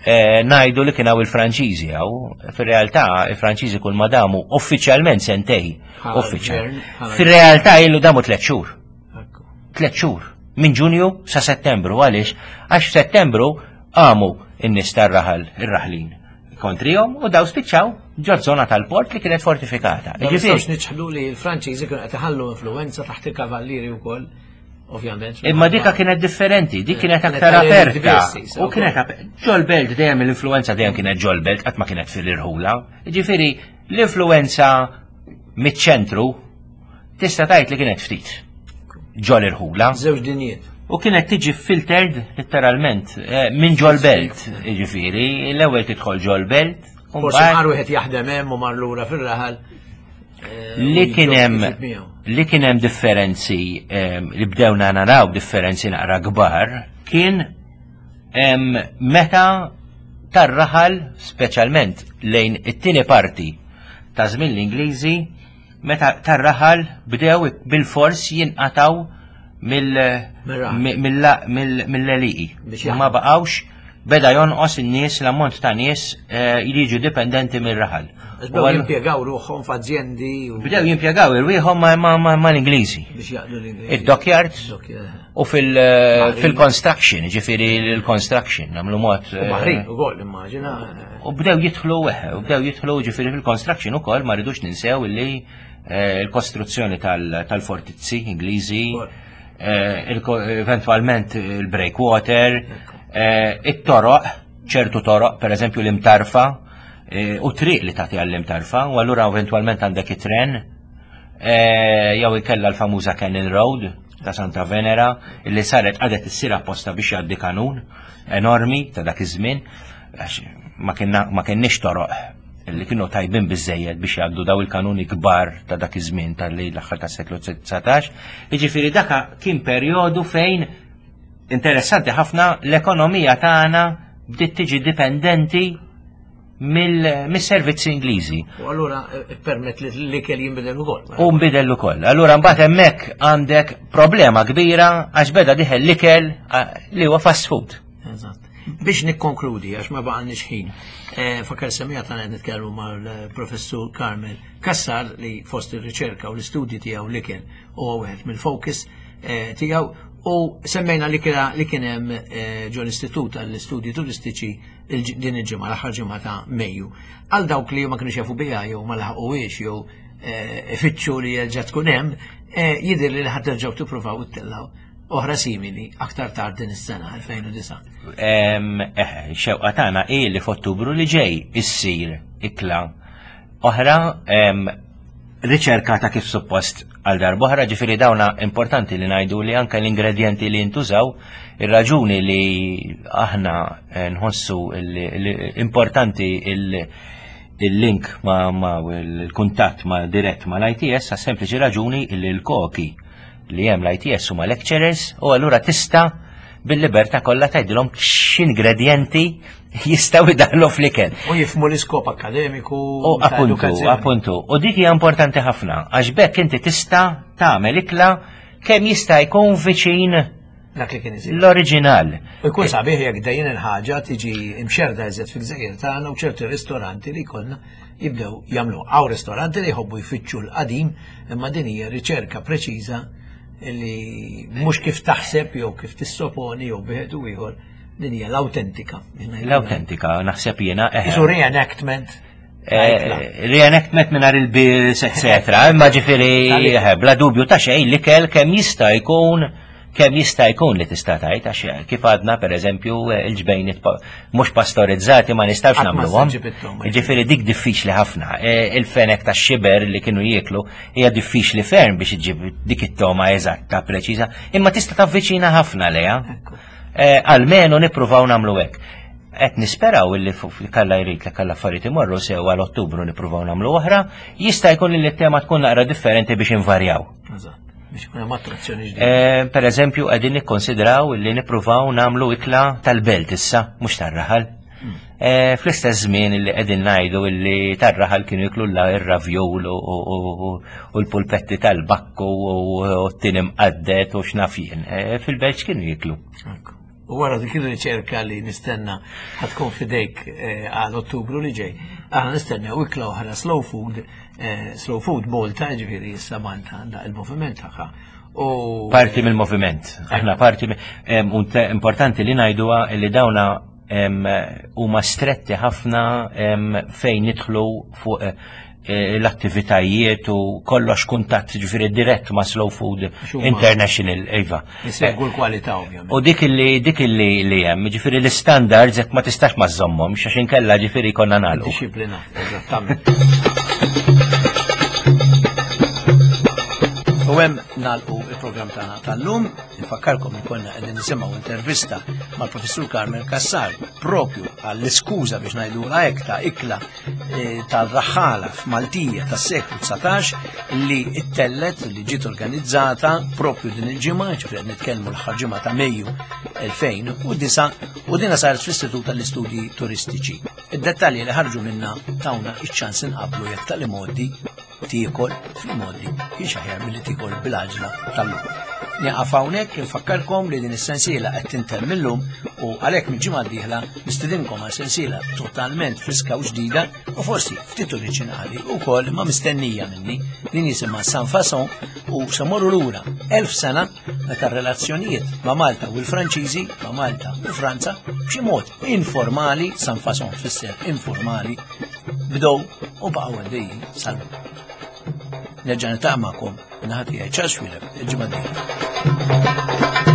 ngħidu li kien hawn il-Franċiżi hawn, fir-realtà il-Franċiżi kull ma damu uffiċjalment sentej, uffiċjal. Fir-realtà ilu damu tliet xhur. Tliet xhur, minn Ġunju sa Settembru, għaliex? Għax f'Settembru qamu n-nies tar-raħal, ir-raħlin kontrihom u daw spiċċaw ġo żona tal-port li kienet fortifikata. Ma nistgħux niċħdu li l-Franċiżi kienu qed iħallu influenza taħt il-kavallieri wkoll, ovvjament. Imma dika kienet differenti, dik kienet aktar aperta. U kienet ġol-belt dejjem l-influenza dejjem kienet ġol-belt, qatt ma kienet fil-irħula. Ġifieri l-influenza miċ-ċentru tista' tgħid li kienet ftit ġol-irħula. Żewġ dinjiet. U kienet tiġi filtered literalment minn ġol-belt, jiġifieri, l-ewwel tidħol ġol-belt. Forsi mar wieħed jaħdem hemm u mar lura fir-raħal. Li kien hemm li kien hemm differenzi li bdewna naraw differenzi naqra kbar kien Meta tar-raħal, speċjalment lejn it-tieni parti ta' żmien l-Ingliżi, meta tar-raħal bdew bil-fors jinqataw mill-għelieqi. Ma baqgħux, beda jonqos in-nies, l-ammont ta' nies li jiġu dipendenti mir-raħal. Bdew jimpjegaw ruħhom f'azjendi. Bdew jimpjegaw irwieħhom mal-Ingliżi. Biex jaqdu l-Ingliżi. Id-dockyards u fil-construction, ġifieri l-construction, nagħmlu mod. U baħrin ukoll, immaġina. U bdew jidħlu, u bdew jidħlu ġifieri fil-construction ukoll, ma rridux ninsew illi l-kostruzzjoni tal-fortizzi Ingliżi, eventwalment il-breakwater, it-toroq, ċertu toroq, per eżempju l-Imtarfa, u triq li tagħti għall-Imtarfa, u allura eventwalment għandek it-tren, jew ikella l-famuża Cannon Road ta' Santa Venera, illi saret għadet issir apposta biex jgħaddi kanun enormi ta' dak iż-żmien, għax ma kienniex toroq li kienu tajbin biżejjed biex jgħaddu daw il-kanuni kbar ta' dak iż-żmien tal-lejl l-aħħar tas-seklu dsatax. Jiġifieri daka kien perjodu fejn interessanti ħafna l-ekonomija tagħna bdiet tiġi dipendenti mill-servizzi Ingliżi. U allura permett li l-ikel jinbidel ukoll. U nbidel ukoll. Allura mbagħad hemmhekk għandek problema kbira għax beda diħel l-ikel li huwa fast food. Eżatt. Biex nikkonkludi, għax ma baqgħalniex ħin, fakar semija tagħna qed nitkellmu mal-Professur Carmel Cassar li fost ir-riċerka u l-istudji tiegħu l-ikel huwa wieħed mill-focus tiegħu, u semmejna li kien hemm ġol Istitut għall-Istudji Turistiċi din il-ġimgħa, l-aħħar ġimgħa ta' Mejju. Għal dawk li ma kienux jafu biha jew ma laħquhiex jew ifittxu li jerġa' tkun hemm, jidher li ħadd terġgħu tippruvaw ittellgħu oħra simili aktar tard din is-sena elfejn u disa'. Eh, xewqa tagħna hi li f'Ottubru li ġej issir ikla oħra riċerkata kif suppost għal darb'oħra, ġifieri dawna importanti li ngħidu li anke l-ingredjenti li jintużaw, ir-raġuni li aħna nħossu li importanti il-link ma, ma il-kuntatt ma dirett ma l-I T S, għas sempliċi raġuni li l-koki li hemm l-I T S huma lecturers, u allura tista' bil-libertà kollha tgħidilhom x'ingredjenti jistgħu jdaħlu fl-ikel. U jifhmu l-iskop akademiku U ta' appuntu, edukazzjoni. appuntu. U dik hija importanti ħafna, għax bekk inti tista' tagħmel ikla kemm jista' jkun viċin dak li kien isir. L-oriġinal. U jkun sabiħ jekk dejjem il-ħaġa tiġi imxerda eżed fil-gżejjer tagħna u ċerti ristoranti li jkollna jibdew jagħmlu. Hawn ristoranti li jħobbu jfittxu l-qadim, imma din hija riċerka preċiża li mhux kif taħseb jew kif tissoponi jew bieħed u ieħor, din hija l-awtentika. L-awtentika, naħseb jiena, eh. Isu reenactment. Eh, reenactment mingħajr il-bills, eccetera. Imma ġifieri, eh, bla dubju ta' xejn l-ikel kemm jista' jkun, kemm jista' jkun li tista' tgħid, għax kif għadna pereżempju il-ġbejniet pa-, mhux pastorizzati ma nistgħux Qatt ma nagħmluhom. ssib it-toma. Ġifieri dik diffiċli ħafna. E, il-fenek tax-xiber li kienu jieklu hija diffiċli ferm biex iġġib dik it-toma eżatta preċiża, imma tista' tavviċina ħafna lejha. Ekku. E, almenu nippruvaw nagħmlu hekk. Qed nisperaw illi fu-, kalla jrid li kalla affarijiet imorru sew għal Ottubru nippruvaw nagħmlu oħra, jista' jkun li t-tema tkun naqra differenti biex invarjaw. Eżatt. Biex ikun hemm attrazzjoni ġdida. Eh, per eżempju, qegħdin nikkonsidraw li nippruvaw nagħmlu ikla tal-belt issa, mhux tar-raħal. Mm. Eh, fl-istess żmien li qegħdin ngħidu li tar-raħal kienu jiklu r-ravjol u, u, u, u l-pulpetti tal-bakku u, u t-tin imqaddet u x'naf jien. Eh, fil-belt x'kienu jiklu? Ekku. U wara dik ir-riċerka li nistenna ħatkun fidejk, eh, għal Ottubru li ġej, aħna nistennew ikla oħra slow food, eh, slow food Malta, ġifieri issa Malta għandha il-moviment tagħha. U parti mill-moviment. Aħna parti mi-, em, un te-, importanti li ngħiduha li dawna, em, huma stretti ħafna, em, fejn nidħlu fuq, eh, l-attivitajiet u kollox kuntatt ġifieri dirett ma' Slow Food Xuma. International, iva. Isegwu l-kwalità ovvjament. U dik li, dik li, li hemm, ġifieri l-standards jekk ma tistax ma żommhom, għax inkella ġifieri konna nagħlqu. Disciplina, eżattament. U hemm nagħlqu tal-programm tagħna tal-lum. Nfakkarkom li konna qegħdin nisimgħu intervista mal-Professur Carmel Cassar propju għall-iskuża biex ngħidulha hekk ta' ikla eh, tal-raħħala f'Maltija tas-seklu dsatax li ttellgħet, li ġiet organizzata propju din il-ġimgħa, ġifieri qed nitkellmu l-aħħar ġimgħa ta' Mejju elfejn u disgħa, u dina saret fl-Istitut tal-Istudji Turistiċi. Id-dettalji li ħarġu minna tawna iċ-ċans inqablu jekk tal-imgħoddi tiekol fl-imgħoddi kienx aħjar milli tiekol bil-għaġla tal-lum. Nieqaf hawnhekk. Infakkarkom li din is-sensiela qed tintemm illum u għalhekk mill-ġimgħa d-dieħla nistidinkom għal sensiela totalment friska u ġdida u forsi ftit oriġinali wkoll ma mistennija minni, din jisimha Sans Façon u se mmorru lura elf sena meta r-relazzjonijiet ma' Malta u l-Franċiżi, ma' Malta u Franza, b'xi mod informali, sans façon tfisser informali, bdew u baqgħu għaddejjin sal-lum. Nerġa' niltaqa' magħkom, min-naħa tiegħi Charles Xuereb, il-ġimgħa d-dieħla.